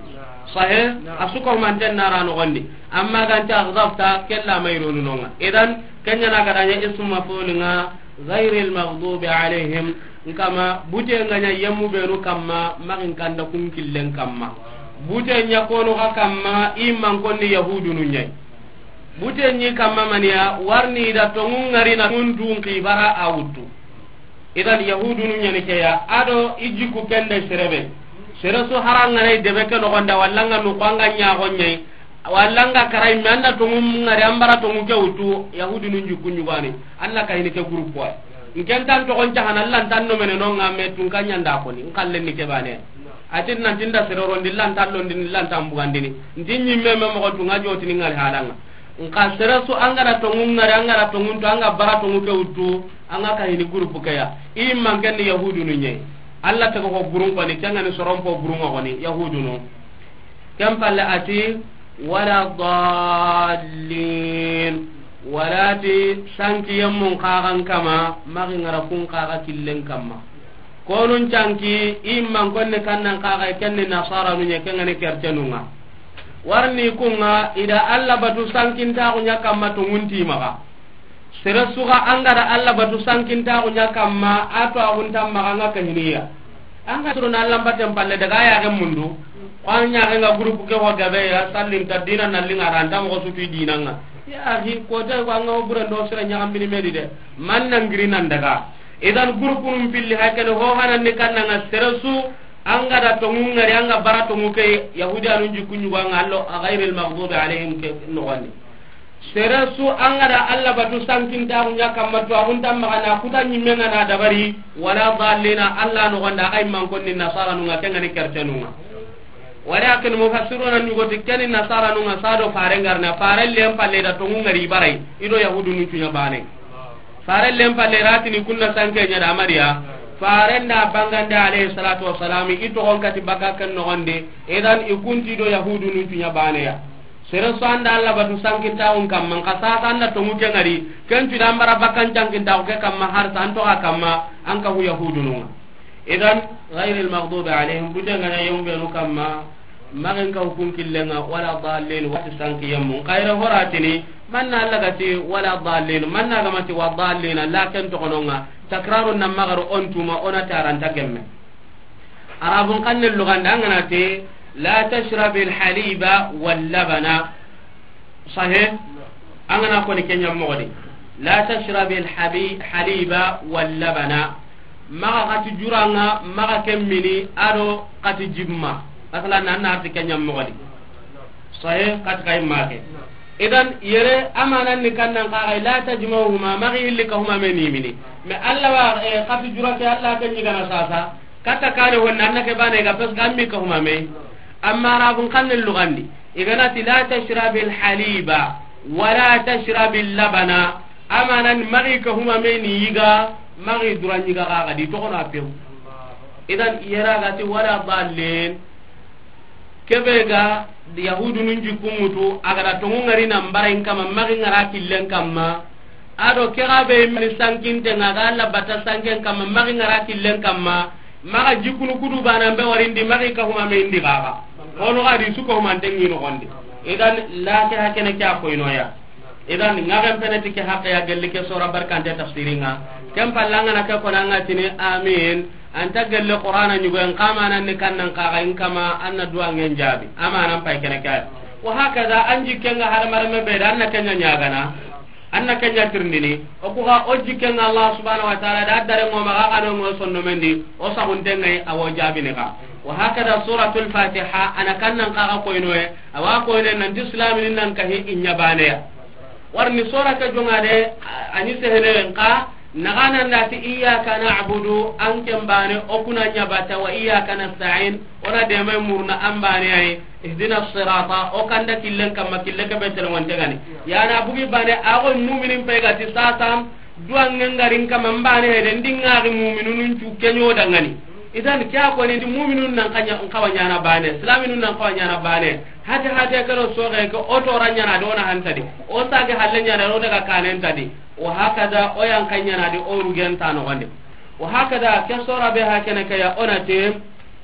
Sahe, a su ka humanten na ra noxon di. Amma ga nta aghdabta, kella mayrunu nonga. Idan, kenya na ga da ɲa ismu maf'ul nga, ghayril maghdubi alayhim, nkama, bute nga ɲa yemmu benu kamma, maxin kanda kun killen kamma. Bute ɲa konu ga kamma, i man konni yahudunu ɲa. Bute ɲi kamma maniya, warni da tongun ngari na tuntun kibara a wuttu. Idan yahudunu ɲani keya, a do i jikku kende serebe. Sere su haranga nay debe ke noxon da, walla nga nu ko anga ɲaxo ɲay, walla nga karay me anda tongu ngari ambara tongu ke wutu, yahudunu jikku ɲugani, Alla ka hini ke groupe wa. Nken tan toxon cahana, Alla ntan no mene no nga me tun ka ɲanda koni, nkallen ni ke bane. Atin nan tinda sere rondi, Alla ntan londi, Alla ntan bugandini. Ntin ɲimme me moxon tu nga jotini ngari halanga. Nxa sere su an ga da tongu ngari, an ga da tongu to, an ga bara tongu ke wutu, an ga ka hini groupe ke ya. I man ken ni yahudunu ɲe. Alla taga ko gurun koni, ken ga ni soron po gurun koni, yahudunu. Ken palle a ti, wala dallin. Wala ti sanki yemmun xaxan kama, maxi ngara kun xaxa killen kamma. Konun canki, i man konni kannan xaxa, ken ni nasaranu ɲa, ken ga ni kercenun ŋa. Warni kun ŋa, i da Alla batu sankintaxu ɲa kamma tongunti maxa. Sere su ga an ga da Alla batu sankintaxu ɲa kamma, a to axuntan maxa nga kahiniya. An ga suru na Alla baten palle daga ya ga mundu. Ko an ɲa ga groupe ke ho gabe ya, sallin ta dina na linga ran ta moxo sutu dina nga. Ya axi, ko ta ko an ga bure ndo sere ɲa gambini medi de. Man nan giri nan daga. Idan groupe num pilli hakene ho hanan ni kannan ŋa sere su an ga da tongu ngari an ga bara tongu ke yahudi anun jikku ɲugo an ga Alla ghayril maghdubi alayhim ke noxon di. Sere su an ga da Alla batu sankintaxu ɲa kamma to axuntan maxa na kuta ɲimme nga na dabari wala dallina Alla noxon da, a ga i man konni nasaranu nga, ken ga ni kercenun ŋa. Wala ken mufassiruna ɲugo ti ken ni nasaranu nga, sado fare ngarna, fare len palle da tongu ngari baray, i do yahudunu cuɲa bane. Faren len palle ratini kunna sanke ɲa da Mariya. Faren da bangande alayhi salatu wassalam, i toxon kati baka ken noxon di. Idan i kunti do yahudunu cuɲa bane ya. Sere su an da Alla batu sankintaxun kamma, nxa sasa an da tongu ke ngari, ken cu da an bara bakan cankintaxu ke kamma, har sa an toxa kamma, an kahu yahudunu nga. Idan, ghayril maghdubi alayhim, bute nga ɲa yemmu benu kamma, maxin ka hukun killen ŋa, wala dallin, wati sanki yemmu. Xayra horatini, manna Alla ga ti, wala dallin, manna ga ma ti, wa dallin, lakin toxonon ŋa, takrarun nan maxaru on tuma, o na taranta gemme. Arabun xannen luganda, an ga na ti, la tashrabil haliba wal labana. Sahe, an ga na koni ken ɲa moxo di. La tashrabil habi-, haliba wal labana. Maxa xati jura nga, maxa ken mini, a do xati jimma. Masalan, an na arti ken ɲa moxo di. Sahe, xati kay make. Idan, yere, amanan ni kannan xaxay, la tajma'uhuma, maxi hilli ka huma me ni mini. Mais Alla wa, eh, xati jura ke Alla ken ɲi gana sasa. Kata kane honna, an na ke bane ga, parce que an mi ka huma me. Amma Arabun xannen lugandi. I ga na ti, "La tashrabil haliba, wala tashrabil labana." Amanan, maxi ka huma me ni yiga, maxi duran yiga ga ga di toxo na pew. Idan, yera ga ti, "Wala dallin." Kebe ga Yahudunun jikku mutu, a ga da tongu ngari nan bara in kama, maxi ngara killen kamma. A do ke ga be mini sankinte nga ga Alla bata sanken kamma, maxi ngara killen kamma. Maxa jikkunu kudu bana mbe warindi, maxi ka huma me indi gaga. Ono ga di su ko humante ngi no gondi. Idan, la ke hakene ke a koynoya. Idan, ngaxen pene ti ke haqqe ya gelli ke sora barkante tafsiringa. Ken pallanga na ke kona nga tini amin. Anta gelle Qur'ana nyugo en kama nan ni kannan kaga in kama anna duwa ngen jabi. Amanan pay kene kay. Wa hakaza an jikkenga har marme be da anna kenya nyagana. Anna kenya tirndini. O ku ga o jikkenga Allah subhanahu wa ta'ala da dare mo maga kano mo sonno mendi. O sagunte ngai awo jabi ne ga. Wa hakaza suratul Fatiha ana kannan kaga koynoye. Awa koyne nanti islaminin nan kahi inya baneya. Warni sora ke jonga de, a-, ani sehene nka, nagana ndati iyyaka na'budu, an ken bane, o kuna nya bata, wa iyyaka nasta'in, ona deme murna an bane ay, ihdina sirata, o kanda killen kamma, kille ke betel wonte gani. Yana bugi bane, ago muminin pe gati sasam, duwa ngengarin kama mbane hede, ndinga gi muminunun cu kenyo dangani. Idan, kya ko ni muminun nan kanya, nkawa nyana bane, islaminun nan kawa nyana bane. Hate hate kero soge ko oto ranyana dona hantadi. O sage halle nyana do daga kanen tadi. Wa hakada o yan kanyana di o rugen tano gonde. Wa hakada ke sora be hakene ke ya onate.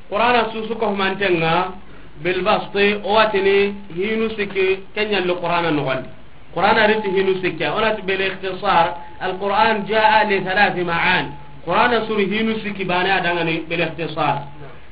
Qur'ana susu ko mantenga bil basti o watini hinu siki kenyal Qur'ana no gonde. Qur'ana riti hinu sikke, onati bil ikhtisar, al Qur'an jaa li thalathi ma'an. Qur'ana suri hinu sikki bane adangani bil ikhtisar.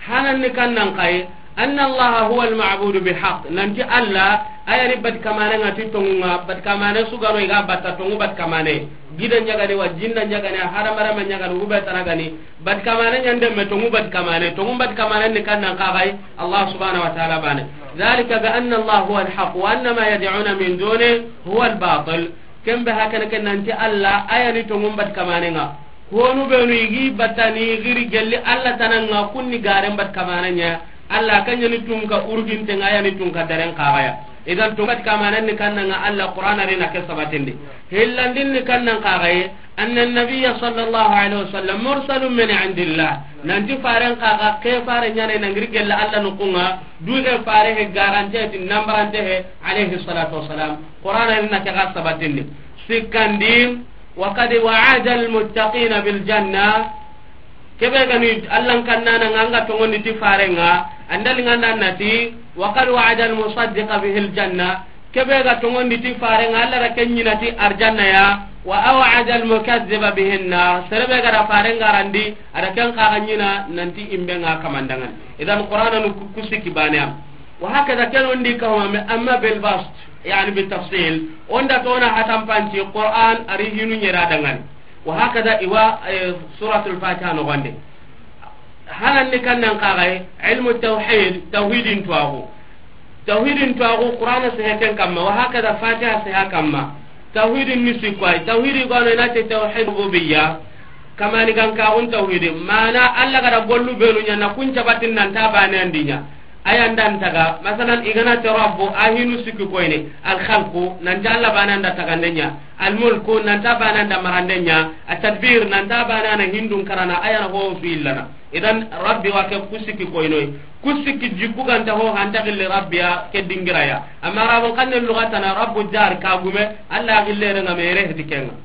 Hanan ni kannan kai, anna Allah huwa al ma'budu bi haqq. Nanti Allah, ayani bat kamane ngati tongunga, bat kamane sugano iga batta tongu bat kamane. Gida nyagani wa jinna nyagani, haramara ma nyagani, ube tanagani, bat kamane nyande me tongu bat kamane, tongu bat kamane ni kannan kagai, Allah subhanahu wa ta'ala bane. Dhalika bi anna Allah huwa al-haq wa anna ma yad'una min duni huwa al-batil. Kembe hakana ken nanti Allah ayani tongu bat kamane nga. Honu benu igi batani giri gelli Allah tananga kunni garen bat kamane nya. Allah kanyani tunka urginte nga ayani tunka daren kagaya. Idan tongu bat kamane ni kannanga Allah Qur'ana rina ke sabatindi. Hillandin ni kannan kagaye. Anna nabiyya sallallahu alaihi wasallam mursalun min indillah. Nanti faren kaga ke fare nyane nangiri gella Allah nukunga. Duge fare he garante ti nambarante he alaihi salatu wasalam. Qur'ana ni na ke ga sabatindi. Sikandi, wa qad wa'ada al muttaqina bil janna. Kebe gani Allah kannana nganga tongondi ti farenga. Andali nganda nati, wa qad wa'ada al musaddiqa bihi al janna. Kebe ga tongondi ti farenga Allah da ken nyina ti arjanna ya, wa aw'ada al mukazziba bihi an-nar. Serebe ga da farenga randi, ada ken kaga nyina nanti imbe nga kamandangan. Idan Qur'ana nu ku-, kusiki bane am. Wa hakada ken ondi kawame amma bil bast, yani bi tafsil. Onda tona hatam panti Qur'an ari hinu nyera dangan. Wa hakada iwa, eh, suratul Fatiha no gonde. Hanan ni kannan kagai, ilmu tawhid, tawhidin tuwagu. Tawhidin tuwagu, Qur'ana sehe ken kamma, wa hakada Fatiha seha kamma. Tawhidin ni sikwai, tawhidi gono inate tawhid rububiyya. Kamani gan kagun tawhidi. Mana Allah gada gollu benu nya na kun cabatin nan ta bane andinya. Ayan dan taga, masalan, igana te rabbu, ahinu sikki koyne, al khalqu, nan ta Allah bane anda tagandenya. Al mulku, nan ta bane anda marandenya. At tadbir, nan ta bane ana hindun karana, ayana ho su illana. Idan Rabbi wa ke kusiki koynoy. Kusiki jikku ganta ho hanta gilli Rabbi ya ke dingira ya. Amma Arabun kanne lugatana Rabbu jar kagume, Allah gille renga mere hedikenga.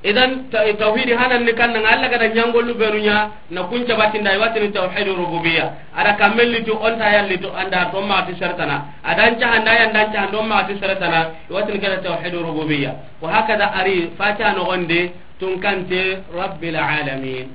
Idan ta-, tawhidi hanan ni kanna nga Allah gada nyangolu benunya na kunca batinda iwatini tawhidu rububiyya. Ada kamelli tu onta yalli tu anda to ma ti sertana. Adan ca handa yanda ca hando ma ti sertana iwatini kada tawhidu rububiyya. Wa hakada ari Fatiha no gonde tunkante Rabbil alamin.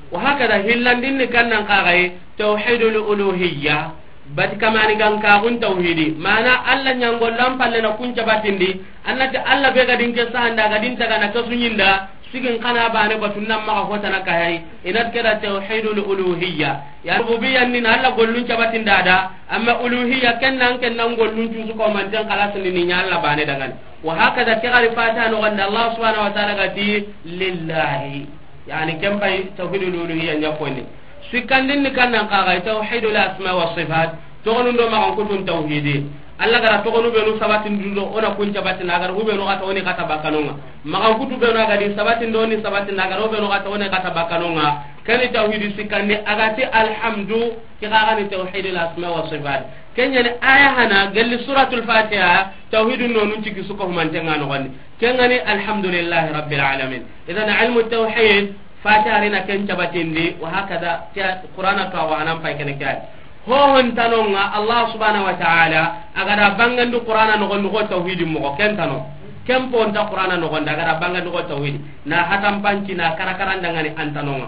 Wa hakada hillandin ni kannan kagai tawhidul uluhiyya. Bat kamani gan kagun tawhidi. Mana Allah nyangol lam palle na kunca batindi. Annati Allah be gadin ke sahanda gadin taga na kasunyinda. Sigin kana bane batun nan maga hotana kahai. Inat keda tawhidul uluhiyya. Ya rububiyya ni na Allah gollun cabatinda da. Amma uluhiyya ken nan ken nan gollun cusu ko manten khalas ni ni nya Allah bane dangan. Wa hakada ke gari Fatiha no ganda Allah subhanahu wa ta'ala gati lillahi. Yani ken pay tawhidul uluhiyya nya koni. Sikandin ni kannan kagai tawhidul asma wa sifat. Toxonun do maxankutun tawhidi. Alla ga ra toxonu benu sabatindi do, o na kun cabatindi, a ga ra ku benu xa ta, o ni xa ta bakkanonŋa. Maxankutu benu a ga di sabatindi, o ni sabatindi, a ga ra ku benu xa ta, o ni xa ta bakkanonŋa. Ken ni tawhidi sikkandi, a ga ti alhamdu, ke xa ga ni tawhidil asma wa sifat. Ken ɲa ni aya hana gelli suratul Fatiha, tawhidun nonun ciki su ko humantenŋa noxondi. Ken ga ni alhamdulillahi rabbil alamin. Idan ilmu tawhid, Fatiha ri na ken cabatindi, wa hakada, ke Qur'ana tuwaxu hanan pay kene ke ya. Hohon tanonŋa, Allah subhanahu wa ta'ala, a ga da bangandi Qur'ana noxondi xo tawhidi moxo, ken tano. Ken po nta Qur'ana noxondi, a ga da bangandi xo tawhidi. Na hatanpanci, na karakaran dangani an tanonŋa.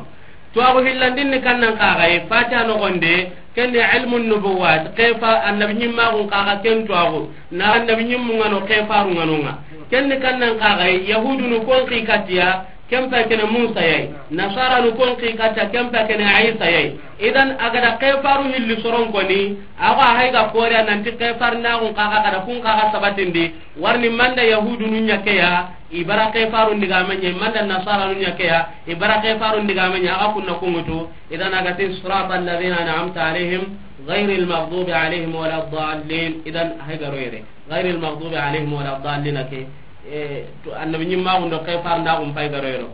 Tuwaxu hillandin ni kannan xa ga yi, Fatiha noxondi, ken ni ilmun nubuwat, xefa annabi ɲimmaxun xa ga ken tuwaxu, na annabi ɲimmun ŋa no, xefarun ŋa nonŋa. Ken ni kannan xa ga yi, yahudunu kon xi katiya, ken pa kene Musa ya yi. Nasaranu kon xi katiya, ken pa kene Isa ya yi. Idan a ga da xefaru hilli soron koni, a xo a hay ga kore nanti xefarnaxun xa ga, a ga da kun xa ga sabatindi, warni manda yahudunu ɲa ke ya, i bara xefarun digame ɲa, manda nasaranu ɲa ke ya, i bara xefarun digame ɲa, a ga kunna kunŋutu. Idan a ga ti sirata alladhina an'amta alayhim ghayril maghdubi alayhim wala dallin. Idan a hay ga ro yere. Ghayril maghdubi alayhim wala dallin ke, e, to annabi ɲimmaxun do xefarndaxun pay ga ro yero.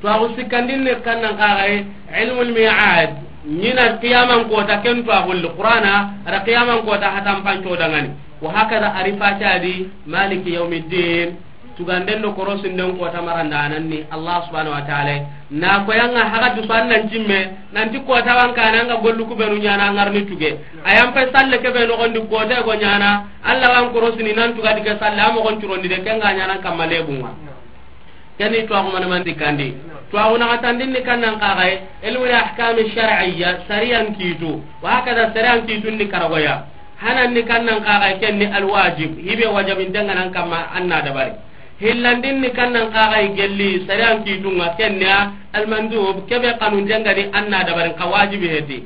Tuwaxu sikkandin ni kannan xa ga yi, ilmul mi'ad, ɲina qiyaman kota ken tuwaxu li Qur'ana, a da qiyaman kota hatanpanco dangani. Wa hakada a ri Fatiha di, maliki yawmiddin, tuganden do korosinden kota marandanan ni Allah subhanahu wa ta'ala. Na ko yanga haga du san nan cimme, nanti kota wan kana nga gollu ku benu ɲana ngarni tuge. Ayan pe salle ke be noxondi kota go ɲana, Allah wan korosini nan tugadi ke salle, a moxon curondi de, ken ga ɲana kamma lebunŋa. Ken ni tuwaxu mana mandi kandi. Tuwaxu naxatandin ni kannan xa ga yi, ilmul ahkami shar'iyya, sariyan kitu. Wa hakada sariyan kitun ni karagoya. Hanan ni kannan xa ga yi, ken ni alwajib, hibe wajabinten ŋa nan kamma an na dabari. Hillandin ni kannan xa ga yi gelli sariyan kitunŋa, ken ni almandub, kebe xanunten ŋa ni an na dabari, xa wajibi heti.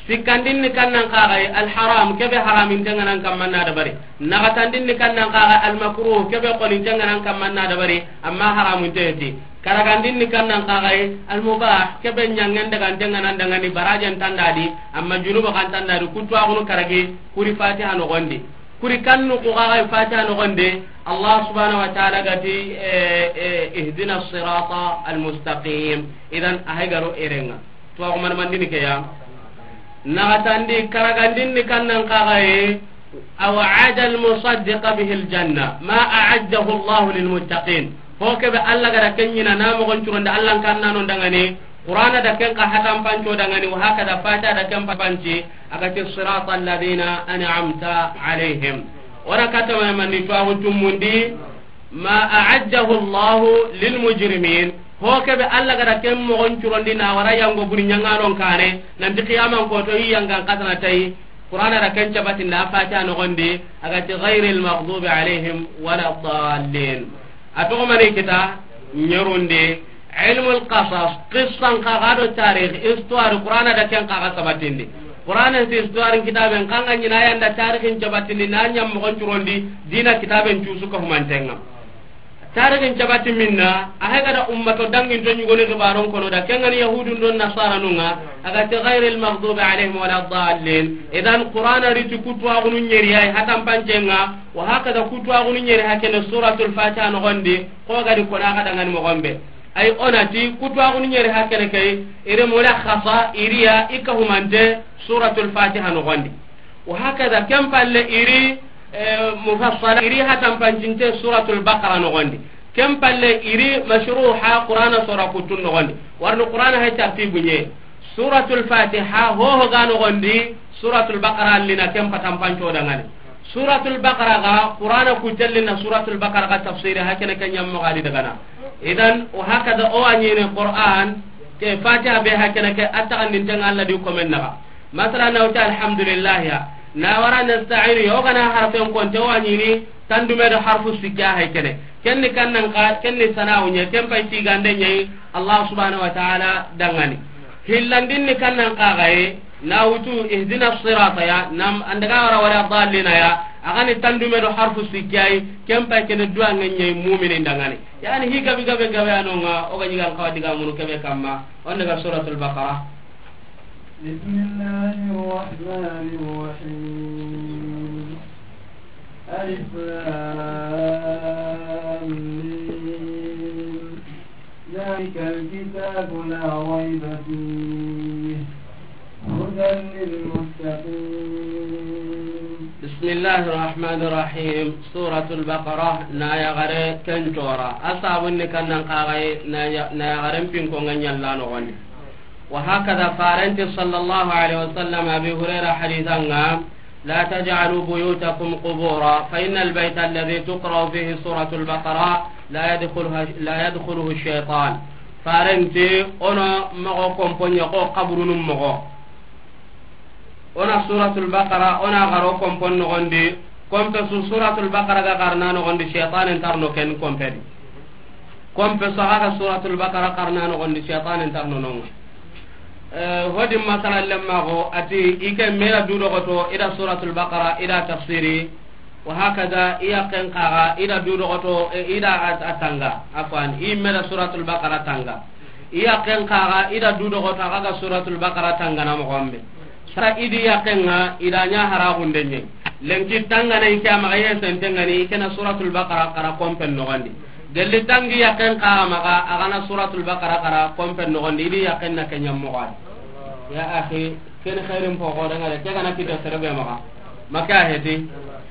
Sikkandin ni kannan xa ga yi alharam, kebe haraminten ŋa nan kamma na dabari. Naxatandin ni kannan xa ga yi almakruh, kebe xoninten ŋa nan kamma na dabari, amma haramunte heti. Karagandin ni kannan xa ga yi almubah, kebe ɲangen daganten ŋa nan dangani, barajen tandadi, amma junuba kan tandadi, kutuwaxunu karagi, kuri Fatiha noxondi. Kuri kannu ku xa ga yi Fatiha noxondi, Allah subhanahu wa ta'ala ga ti, eh, eh, ihdina sirata almustaqim. Idan a hay ga ro erenŋa. Tuwaxu mana mandini ke ya. Naxatandi, karagandin ni kannan xa ga yi, aw'ada almusaddiqa bihi aljanna, ma a'addahu Allah lilmuttaqin. Ho kebe Allah ga da ken ɲina, na moxon curondi Allah kannanon dangani, Qur'ana da ken xa hatanpanco dangani, wa hakada Fatiha da ken panci, a ga ti sirata alladhina an'amta alayhim. Ora katama mani tuwaxu tumundi, ma a'addahu Allahu lil mujrimin. Ho kebe Allah ga da ken moxon curondi na wara yango buri ɲanganon kane, nanti qiyaman koto i yangan katana tayi. Qur'ana da ken cabatinda Fatiha noxondi, a ga ti ghayril maghdubi alayhim wala dallin. A toxo mani kita, ɲerundi, ilmul qasas, qissan xa ga do tarikh, histoire, Qur'ana da ken xa ga sabatindi. Qur'ana ti histoire kitaben xa ga ɲina yanda tarikhin cabatindi, na ɲam moxon curondi, dina kitaben cusu ka humantenŋa. Tarikhin cabati minna, a hay ga da ummato danginto ɲugoni xibaron kono da, ken ga ni yahudun do nasaranun ŋa, a ga ti ghayril maghdubi alayhim wala dallin. Idan Qur'ana ri ti kutuwaxunu ɲeri ya yi hatanpancenŋa, wa hakada kutuwaxunu ɲeri hakene suratul Fatiha noxondi, xo ga di kona xa dangani moxon be. Ay o na ti kutuwaxunu ɲeri hakene ke yi, iri mulakhasa, iri ya i ka humante suratul Fatiha noxondi. Wa hakada, ken palle iri, eh, mufassala, iri hatanpancinte suratul Baqara noxondi. Ken palle iri mashruha Qur'ana sora kutun noxondi. Warni Qur'ana hay tartibu ɲe. Suratul Fatiha hoho ga noxondi, suratul Baqara allina ken patanpanco dangani. Suratul Baqara ga Qur'ana kutellina suratul Baqara ga tafsiri hakene ke ɲammo ga di dagana. Idan, wa hakada o wa ɲini Qur'an ke Fatiha be hakene ke a taxandintenŋa Allah di komen naxa. Masala na wuti alhamdulillah ya. Na wara nasta'inu ya, o ga na harfen konte wa ɲini tandume do harfu sikka hay kene. Ken ni kannan xa, ken ni sana'u ɲa, ken pay tigande ɲa yi Allah subhanahu wa ta'ala dangani. Hillandin ni kannan xa ga yi, na wutu ihdina sirata ya, nam andaga wara wala dallina ya, a ga ni tandume do harfu sikka yi, ken pay kene duwa ŋa ɲa yi mu'minin dangani. Yani hi gabi gabe gabe anonŋa, o ga ɲigan xawa diga munu kebe kamma, on daga suratul Baqara. بسم الله الرحمن الرحيم. ألف لام ميم. ذلك الكتاب لا ريب فيه. هدى للمتقين. بسم الله الرحمن الرحيم. سورة البقرة، na yaxare ken cora. A sabun ni kannan kaxay, na ya-, na yaxaren pinko nga ñalla noxondi. وهكذا فارنت صلى الله عليه وسلم، أبي هريرة حديثا، لا تجعلوا بيوتكم قبورا، فإن البيت الذي تقرأ فيه سورة البقرة لا يدخلها، لا يدخله الشيطان. Farenti, o na moxo kompo ña xo xaburunun moxo. O na Suratul Baqara, o na xaro kompon noxondi. Kompe su Suratul Baqara ga xarana noxondi, shaytanen nta ro no ken kompe di. Kompe su xa ga Suratul Baqara xarana noxondi, shaytanen nta ro no nonga. Eh, hodi masala lemma xo, ati i ke me da du doxoto, i da Suratul Baqara, i da tafsiri, wa hakada, i yaqqen xa ga, i da du doxoto, eh, i da a, a tanga, afwan, i me da Suratul Baqara tanga. I yaqqen xa ga, i da du doxoto, xa ga Suratul Baqara tangana moxo be. Sa i di yaqqen ŋa, i da ña haraxunde ñe. Lenki tangana i ke a maxa ye senten ŋa ni, i ke na Suratul Baqara xara kompen noxondi. Gelli tangi yaqqen xa maxa, a ga na Suratul Baqara xara kompen noxondi, i di yaqqen na ke ña moxo a di. Ya axi, ken xeerin po xore ŋa de, ke ga na kite sere be maxa. Maka heti.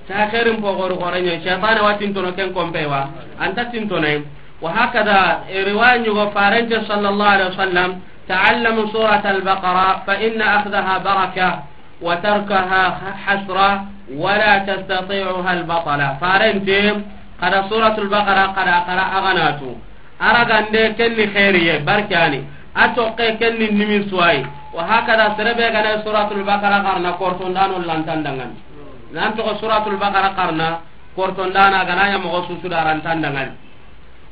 Sa xeerin po xore xore ñe, shaytane wa tintono ken kompe wa. Anta tintono. وهكذا رواية يقول فارنت صلى الله عليه وسلم: تعلموا سورة البقرة فإن أخذها بركة وتركها حسرة ولا تستطيعها البطلة. Farenti, xa da Suratul Baqara, xa da, xa da a ga na tu. Aragande ken ni xeeriye, barkani. A toqe ken ni nimisuwayi. وهكذا sere be ga na Suratul Baqara xarana, kortondano lantan dangani. Nan toxo Suratul Baqara xarana, kortondana ga na ña moxo su su da rantan dangani.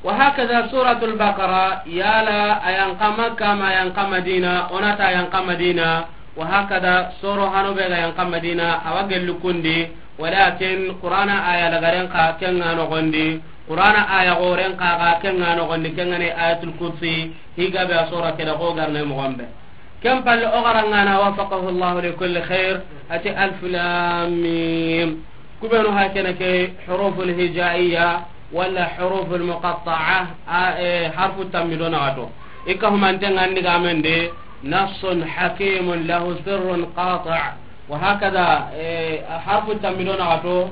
وهكذا سورة البقرة، yala a yan xa Makka ma a yan xa Madina, o na ta a yan xa Madina, وهكذا soro hano be ga yan xa Madina, a wa gelli kundi, walakin Qur'ana aya lagaren xa ken ŋa noxondi, Qur'ana aya xoren xa ga ken ŋa noxondi, ken ŋa ni Ayatul Kursi, hi ga be a sora ke da xo garne moxo be. Ken palle o xara ŋa na, وفقه الله لكل خير, ati ألف لام ميم. Ku benu hakene ke huruful hijaiya wala huruful muqatta'a, a, e, harfu tammi do naxato. I ka humante ŋa ndi ga men de, نص حكيم له سر قاطع. وهكذا, e, harfu tammi do naxato,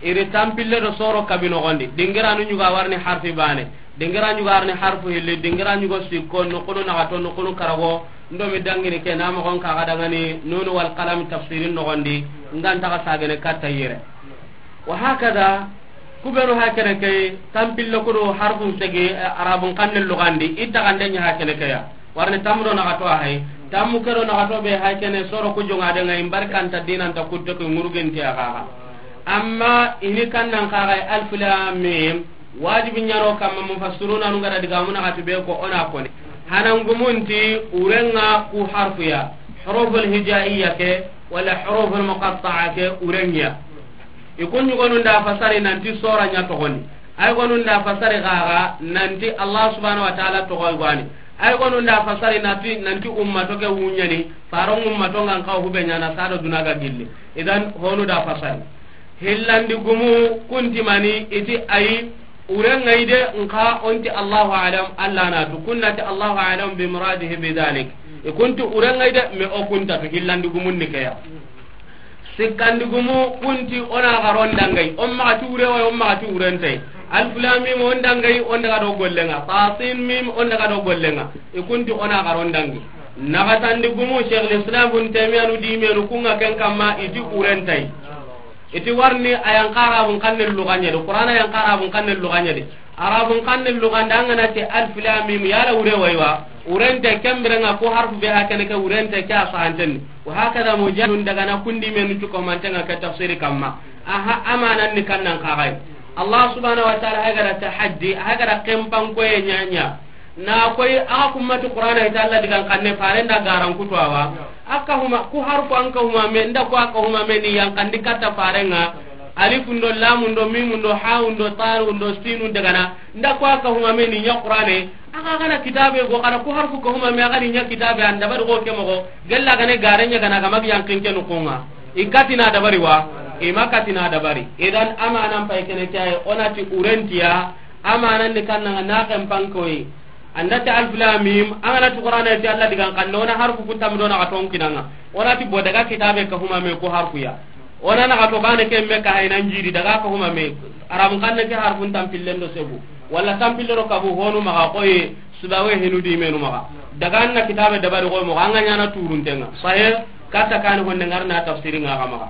i ri tampille do soro kabi noxondi. Dingiranu ñuga warni harfi bane. Dingira ñuga arni harfu hilli, dingira ñugo sikko, noqunu naxato, noqunu karago, ndomi dangini ke, na moxon kaxa dangani, Nunu wal Qalam tafsirin noxondi, ngan taxa sagene katta yere. Wa hakada, ku benu hakene ke, tampille kudo harfun segi, eh, Arabun xanne lugandi, i taxande ña hakene ke ya. Warni tammu do naxato a hay, tammu ke do naxato be hakene, soro ku jonga de ŋa, i mbarkanta dinanta kutte ku ŋurugenti a xaxa. Amma ini kannan xaxa, Alif Lam Mim, wajibi ñano kamma, mufassiruna nu ngara diga muna xati be ko ona koni. Hanangumunti urenga ku harfuya, huruful hijaiya ke, wala huruful muqatta'a ke urengiya. I kun ñugonu nda fasari nanti sora ña togoni. Ay gonu nda fasari xaxa nanti Allah subhanahu wa ta'ala togoy gwani. Ay gonu nda fasari nanti, nanti ummato ke wuñani, faron ummato ngan kaw hube ñana sado duna ga gilli. Idan honu da fasari. Hillandi gumu kunti mani iti ayi, urengai de nka onti Allahu alam, Allah na tu kunnati Allahu alam bi muradihi bi dhalik. I kunti urengai de me o kunta tu hillandi gumun ni keya. Sikkandi gumu kunti ona garon dangai, on maxa ti ure way, on maxa ti urentay. Alif Lam Mim on dangai, on daga do gollenga. Tasin Mim on daga do gollenga. I kunti ona garon dangi. Naxatandi gumu Sheikhul Islam Ibn Taymiyyah nu dimenu kunga ken kamma iti urentay. Iti warni ayan qarabun kanne lugañedi, Qur'ana ayan qarabun kanne lugañedi. Arabun kanne luganda angana ti Alif Lam Mim, yala ure waywa. Urente kembirenga ko harfu be hakene ke urente ke asahanten. Wa hakada Mujahidun daga na kundi menu tuko mantenga ke tafsiri kamma. Aha, amanan ni kannan kagai. Allah subhanahu wa ta'ala hagara tahaddi, hagara kempan koye ñaña. Na koy, a kummati Qur'ana ita Allah digan kanne, fare nda garan kutu awa. Aka huma, ku harfu anka huma me, nda ko aka huma me ni yankandi katta farenga. Alifun do, lamun do, mimun do, hawun do, ta'un do, sinun daga na. Nda ko a kahumame ni ɲa Qur'ane. A ga gana kitabe go, kana ko harfu kahumame, a ga ni ɲa kitabe, an dabari go ke moxo. Gella gane gare ɲa gana ga magi yankin ke nukunga. I katina dabari wa? I ma katina dabari. Idan amanan pay kene kay, o na ti urentiya, amanan ni kanna na kan pankoy. An da ti alif lam mim, an ga na ti Qur'ana ti Alla digan xanne, o na harfu kun tammi do na xa ton kinanga. O na ti bo daga kitabe kahumame ko harfu ya. O na na xa to bane ke me ka hayna njiri daga kahumame. Arabun xanne ke harfun tampillen do sebu. Wala tampillen do kabu honu maxa koye, subawe hinu di menu maxa. Daga an na kitabe dabari koy moxo, an ga ɲana turuntenga. Sahih, kata kani honne ngarna tafsiri nga xa maxa.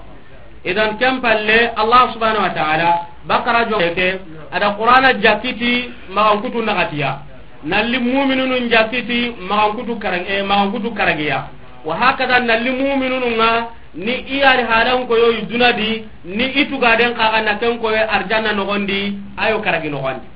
Idan ken palle, Allah subhanahu wa ta'ala, Bakara jonge ke, a da Qur'ana jakiti maxan kutu naxatiya. Nalli mu'minunun jakiti maxan kutu karag-, eh, maxan kutu karagiya. Wa hakada nalli mu'minunun nga ni i yari halan koyo i dunadi, ni i tugaden xaxa na ken koyo arjanna noxondi, ayo karagi noxondi.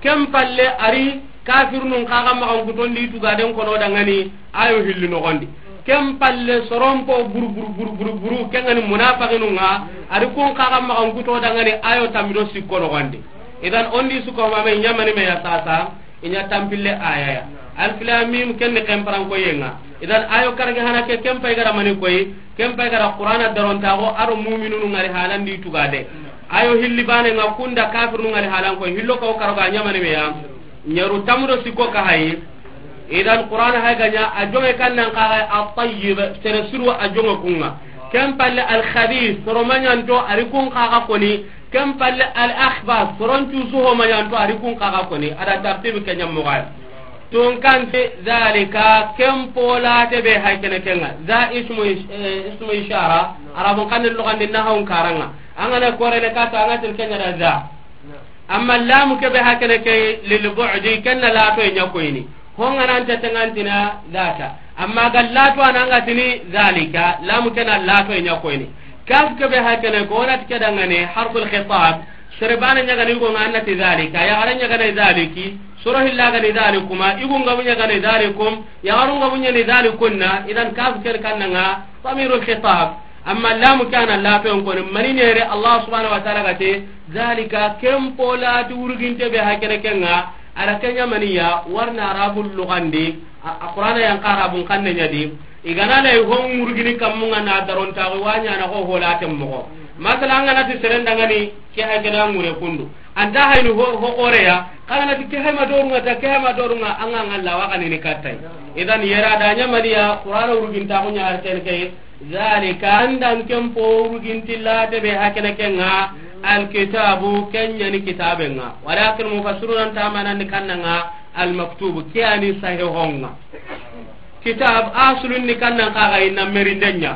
Ken palle ari kafirunun xaxa maxan kutondi i tugaden kono dangani, ayo hilli noxondi. Ken palle soronpo buru buru buru buru buru, ken gani munafiqinun nga, ari kun xaxa maxan kuto dangani, ayo tammi do sikko noxondi. Idan ondi suko mame ɲamani me ya sasa, i ɲa tampille aya ya. Alif lam mim ken ni ken paran koyenga. Idan ayo karage hana ke ken pay gara mani koy, ken pay gara Qur'ana darontaxo aro mu'minunu ngari halandi tugade. Ayo hilli bane nga kunda kafirunu ngari halan koy, hillo ko karoga ɲamani me ya. Ɲaru tamudo sikko ka hayi. Idan Qur'ana hay ga ɲa a jonge kannan kaga at-tayyib, sere suru a jonge kunga. Ken palle al-khabith, soro maɲanto ari kun kaga koni. Ken palle al-akhbath, soron cusu ho maɲanto ari kun kaga koni. A da tartibi ke ɲammo gay. Tun kante zalika, ken polate be hay kene kenga. Za ismu ish-, eh, ismu ishara, arabun xanne lugandi nahawun karanga. An ga na korene kata, an ga tir kenya da za. Amma lamu ke be hakene ke lil bu'di, ken na lato ɲa koyni. Ho nga nan ta tengantina zata. Amma ga lato ananga tini zalika, lamu ke na lato ɲa koyni. Kaf ke be hakene ko na tike dangane harful khitab. Sere bana ɲagani go nga annati zalika, ya gara ɲagana zaliki. Soro hilla gani zalikuma, igu nga bunya gani zalikum, ya garu nga bunya ni zalikunna. Idan kaf ke kannanga damirul khitab. Amma lamu kana lato en koni, mani nere Allah subhanahu wa ta'ala gate, zalika ken polati uruginte be hakene kenga, ara kenya maniya, warna arabul lugandi, a, a Qur'ana yan arabun xanne ɲadi, igana lay hon urugini kammunga na darontaxu wa ɲana xo holaten moxo. Masala an ga na ti seren dangani ke hakene ngure kundu. Anta hayni ho, ho xoreya, xa ga na ti ke hayma dorunga ta, ke hayma dorunga, an ga ngalla wa kanini kattay. Idan yera da ɲamaniya, Qur'ana urugintaxu ɲa har ken ke, zalika, andan ken po uruginti late be hakene kenga, alkitabu, ken ɲani kitabenga. Walakin mufassiruna nta manandi kannanga almaktubu, ke ani sahihonga. Kitab asulun ni kannan kaga inna merinden ɲa.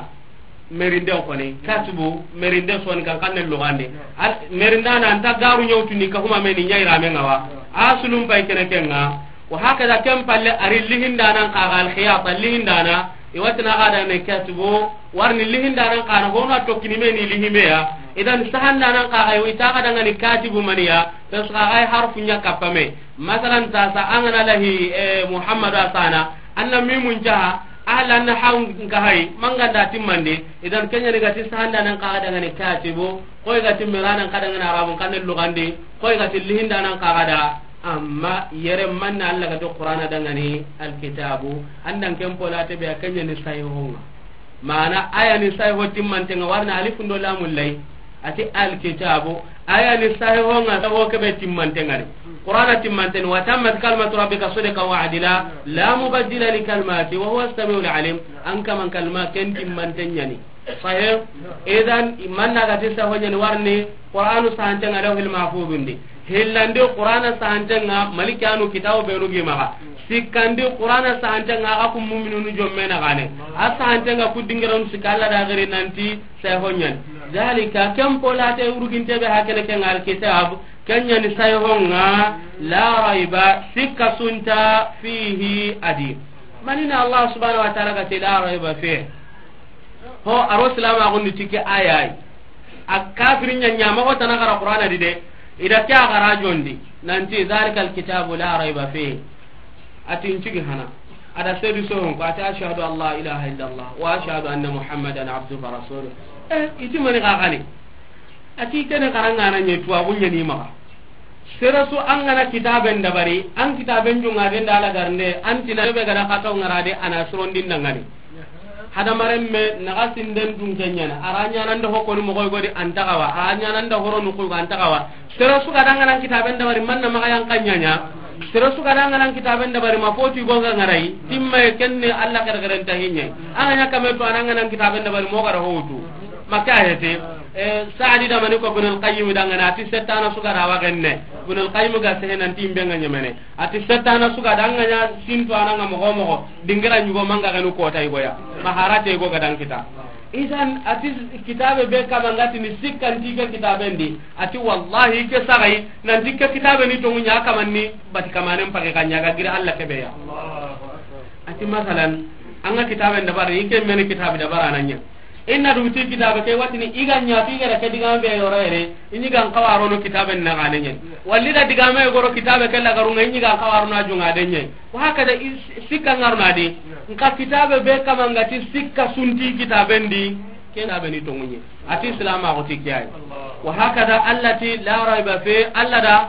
Merinden koni, katibu, merinde soni kan kanne lugande. Al-, merindana anta garu ɲawtuni ka huma meni ɲairame ngawa. Asulun pay kene kenga. Wa hakada ken palle ari lihindanan kaga alkhiyata lihindana. Iwatina gada ne katibu, warni lihindanan kana hona tokkini meni lihimeya. Idan sahandanan kaga iwi taga dangani katibu maniya. Tasga ay harfu ɲa kapame. Masalan tasa angana lahi, eh, Muhammadu asana. Anna mimun jaha. Ahlan hawn ka hay, manganda timmandi, idan kenya ni gati sahandanan kaga dangani katibu, koy gati miranan kaga dangani arabun xanne lugandi, koy gati lihindanan kaga da, amma yere manna Allah gati Qur'ana dangani alkitabu, andan ken polate be kenya ni sahihonga. Mana aya ni sahiho timmantenga warna alifun do lamul lay. Ati alkitabu, aya ni sahihonga, sahiho kebe timmantengani. Qur'ana timmanteni, wa tammat kalimatu rabbika sidqan wa adla, la mubaddila li kalimati, wa huwa as-sami'ul alim. An kaman kalima ken timmantenyani. Sahih, idan imanna gati sahiho nyani warni, Qur'anu sahantenga lawhil mahfuzundi. Hillandi Qur'ana sahantenga, malikanu kitabu benu gi maga. Sikkandi Qur'ana sahantenga, aga ku mu'minunu jommena gane. A sahantenga ku dingiranu sikka Allah da gari nanti, Sehonyan. Zalika, ken polate uruginte be hakene ken alkitab, ken yani sehonga, la raiba, sikka sunta fihi adi. Manina Allah subhanahu wa ta'ala gati la raiba fihi. Ho, aro silama gundi tike ayay. A kafirin nya nya mago tana gara Qur'ana di de. Ida kya gara jondi. Nanti zalika alkitabu la raiba fihi. Ati n cigi hana. Ada sedu sohon ko ati ashhadu an la ilaha illallah wa ashhadu anna Muhammadan abduhu wa rasuluh. Eh, iti mani ka kani. A ti kene xarangana ɲe tuwaxu ɲani maxa. Sere su an gana kitaben dabari, an kitaben jungaden da lagarnde, an tina be gada xataw ŋarade, a na sirondin dangani. Hadamaren me naxa sinden dun ke ɲana, a ra ɲananda hokoni moxoy godi an taxawa, a ra ɲananda horo nuxuy go an taxawa. Sere su ga danganan kitaben dabari, manna maxa yanka ɲaɲa. Sere su ga danganan kitaben dabari, ma foti go ga ŋarai, timmaye kenne Allah xerxeren ta hiɲe. An ga ɲa kame to, an ganan kitaben dabari, mo gara howtu. Maka hete, eh, Saadi da mani ko Ibn al-Qayyim dangana, a ti settana su ga da wa genne. Ibn al-Qayyim ga sehe nan ti imbe nga ɲemene. A ti settana su ga da nga ɲa sinto ananga moxo moxo, dingira ɲugo manga genu kota igoya. Maharate igo ga dan kita. Idan a ti kitabe be kama nga ti ni sikkanti ke kitaben di. A ti wallahi ke sagai, nan ti ke kitabe ni tongu ɲa kamanni, bati kamanen pake ka ɲa ga gira Allah ke be ya. A ti masalan, an ga kitaben dabari, ike meni kitabe dabara nan ɲa. Inna duguti kitabe ke watini i ga ɲa fi gara ke digame be yoro yere, i ɲi gan xawarono kitabe na gane ɲe. Walli da digame goro kitabe ke lagarunga, i ɲi gan xawarono a junga de ɲe. Wa hakada i s-, sikka ngarna di. Nka kitabe be kama nga ti sikka sunti kitaben di, ke kitabe ni tongu ɲe. A ti Islam a xoti kiyai. Wa hakada Allah ti la raiba fi, Allah da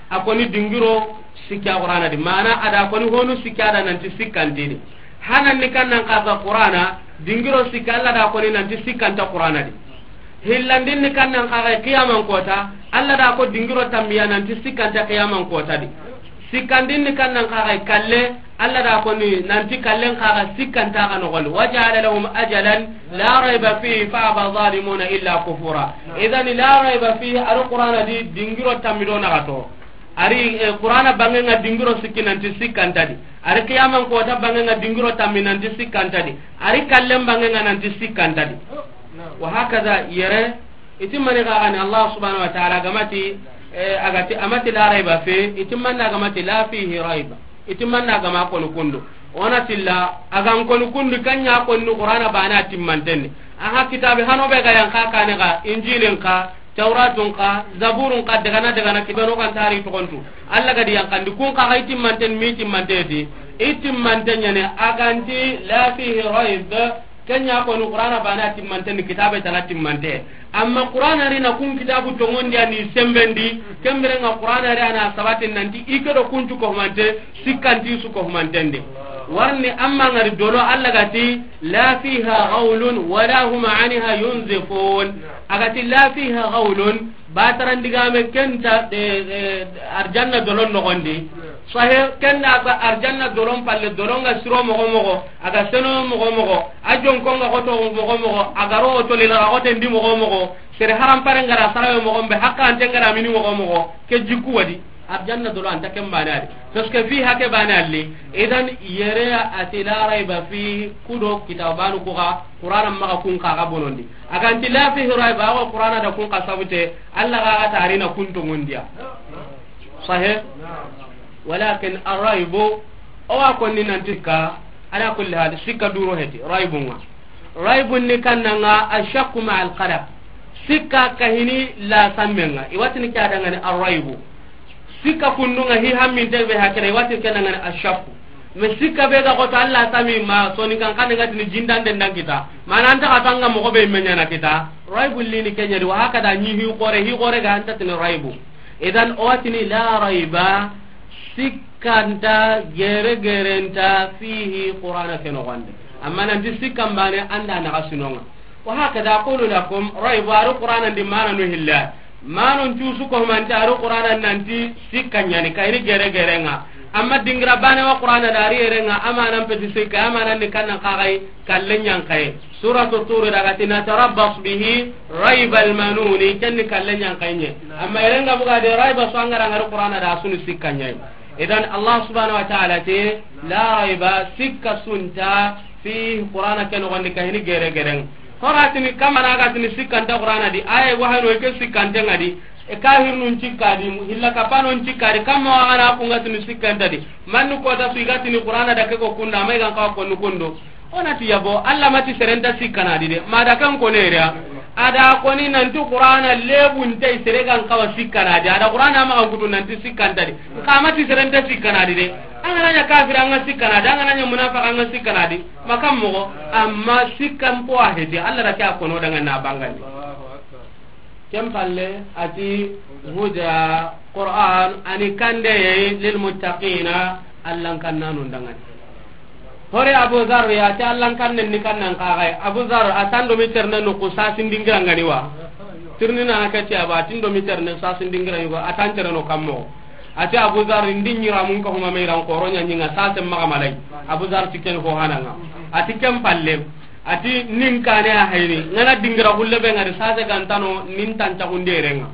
a koni dingiro sikka Qur'ana di. Mana a da koni honu sikka da nanti sikkantini. Hanan ni kannan kaga Qur'ana, dingiro sikka Allah da koni nanti sikkanta Qur'ana di. Hillandin ni kannan kaga qiyaman kota, Allah da ko dingiro tammiya nanti sikkanta qiyaman kota di. Sikkandin ni kannan kaga kalle, Allah da koni nanti kallen kaga sikkanta ga nogondi. Wa ja'ala lahum ajalan la raiba fihi fa aba zalimuna illa kufura. Idan la raiba fihi, ar Qur'ana di dingiro tammido na gato. Ari, eh, Qur'ana bangenga dingiro sikki nanti sikkantadi. Ari qiyaman kota bangenga dingiro tammi nanti sikkantadi. Ari kallen bangenga nanti sikkantadi. Wa hakaza yere, iti mani gagani Allah subhanahu wa ta'ala gamati, eh, agati amati la raiba fi, iti manna gamati la fihi raiba. Iti manna gama koni kundu. Ona tilla, agan koni kundu kanya koni Qur'ana bana timmantenni. Aha kitabe hano be ga yanka kane ga, Injilin ka, Tawratun ka, Zaburun ka, dagana dagana kibeno kan tari tokontu. Allah gadi yankandi kun ka ga itimmanten mi timmanteti. Itimmanten ɲane aganti la fihi raib. Kenya koni Qur'ana bana timmanten kitabe tana timmante. Amma Qur'ana ri na kun kitabu tongondi ani sembendi. Kembere nga Qur'ana ri ana sabatin nanti ikedo kuncu ko humante, sikkanti su ko humanten de. Warni amma ngari dolo Allah gati la fiha ghawlun wala hum anha yunzifun. Agati la fiha ghawlun, batarandigame kenta, eh, eh, arjanna dolon nogondi. Sahe, kenda ga arjanna dolon palle, dolon ga siro mogo mogo, aga seno mogo mogo, a jonko nga hoto mogo mogo, aga ro hoto lila ga hote ndi mogo mogo, sere haram pare ngara sarawe mogo mbe, hakka ante ngara mini mogo mogo, ke jikku wadi. Arjanna dolo anta ken bane adi. Parce que fi hake bane alli. Idan yere a ti la raiba fi kudo kitabanu ko ga Qur'ana maga kun ka ga bonondi. Aganti la fihi raiba, awa Qur'ana da kun ka sabute, Allah ga ga tarina kun to ngundiya. Sahih? Walakin arraibu, o wa konni nanti ka, ala kulli hal, sikka duro heti, raibunga. Raibun ni kannanga ashakku ma al qalaq. Sikka kahini la sammenga. Iwatini ke adangani arraibu. Sikka kundunga hi hamminte be hakere, iwatini kenangani ashakku. Me sikka be ga koto Allah sami ma soni kan kan ngati ni jindande ndangita. Mana anta katanga mo ko be menyana kita. Raibu lini kenyadi wa hakada ni hi kore, hi kore ga anta tini raibu. Idan o watini la raiba, sikkanta gere gerenta fihi Qur'ana ke noxonde. Amma nanti sikkan bane anda naxa sinonga. Wa hakada aqulu lakum, raiba, ari Qur'ana ndi mana no hilla. Manon cusu ko manti ari Qur'ana nanti sikka ɲani kayri gere gerenga. Amma dingira bane wa Qur'ana da ari erenga, amanan peti sikka, amanan ni kannan kagai kallen ɲankaye. Suratu Turi daga ti natarabbas bihi raibal manuni, kenni kallen ɲankaye. Amma erenga buga de raiba so angara ngari Qur'ana da sunu sikka ɲai. Idan Allah subhanahu wa ta'ala te la raiba, sikka sunta fi Qur'ana ke noxondi kahini gere gereng. Horatini kamana ga tini sikkanta Qur'ana di, aye wahano ke sikkante ngadi, e kahirnun cikkadi, hilla kapanon cikkadi, kamma wagana kunga tini sikkanta di. Mannu kota su igatini Qur'ana da ke ko kunda, ma igan kawa konu kundo. Onati yabo, Allah mati serenta sikkanadi de. Mada kan ko neria. Ada koni nanti Qur'ana lebun tay seregan kawa sikkanadi. Ada Qur'ana ma kan kutu nanti sikkantadi. Kamati serenta sikkanadi de. Angana nya kafir anga sikkanadi, angana nya munafiq anga sikkanadi. Makam mo amma sikkan po ahedi. Allah da kya kono danga na bangani. Ken palle a ti huda, Qur'an a ni kandeye lil muttaqina, Allan kannanu ndangani. Hore Abu Dharr ya ti Allan kannen ni kannan kaxay. Abu Dharr a tan do mi terne no ku sasin dingirangani wa. Tirni na ka ti aba tin do mi terne sasin dingirangani wa, a tan tere no kammo. A ti Abu Dharr ndi nyira mun ka huma me ran koro nya nyinga sase maga malai. Abu Dharr ti ken ho hananga. A ti ken palle. A ti nin kane a hayni. Ngana dingira hulle be ngari sase gantano nin tan tagunderenga.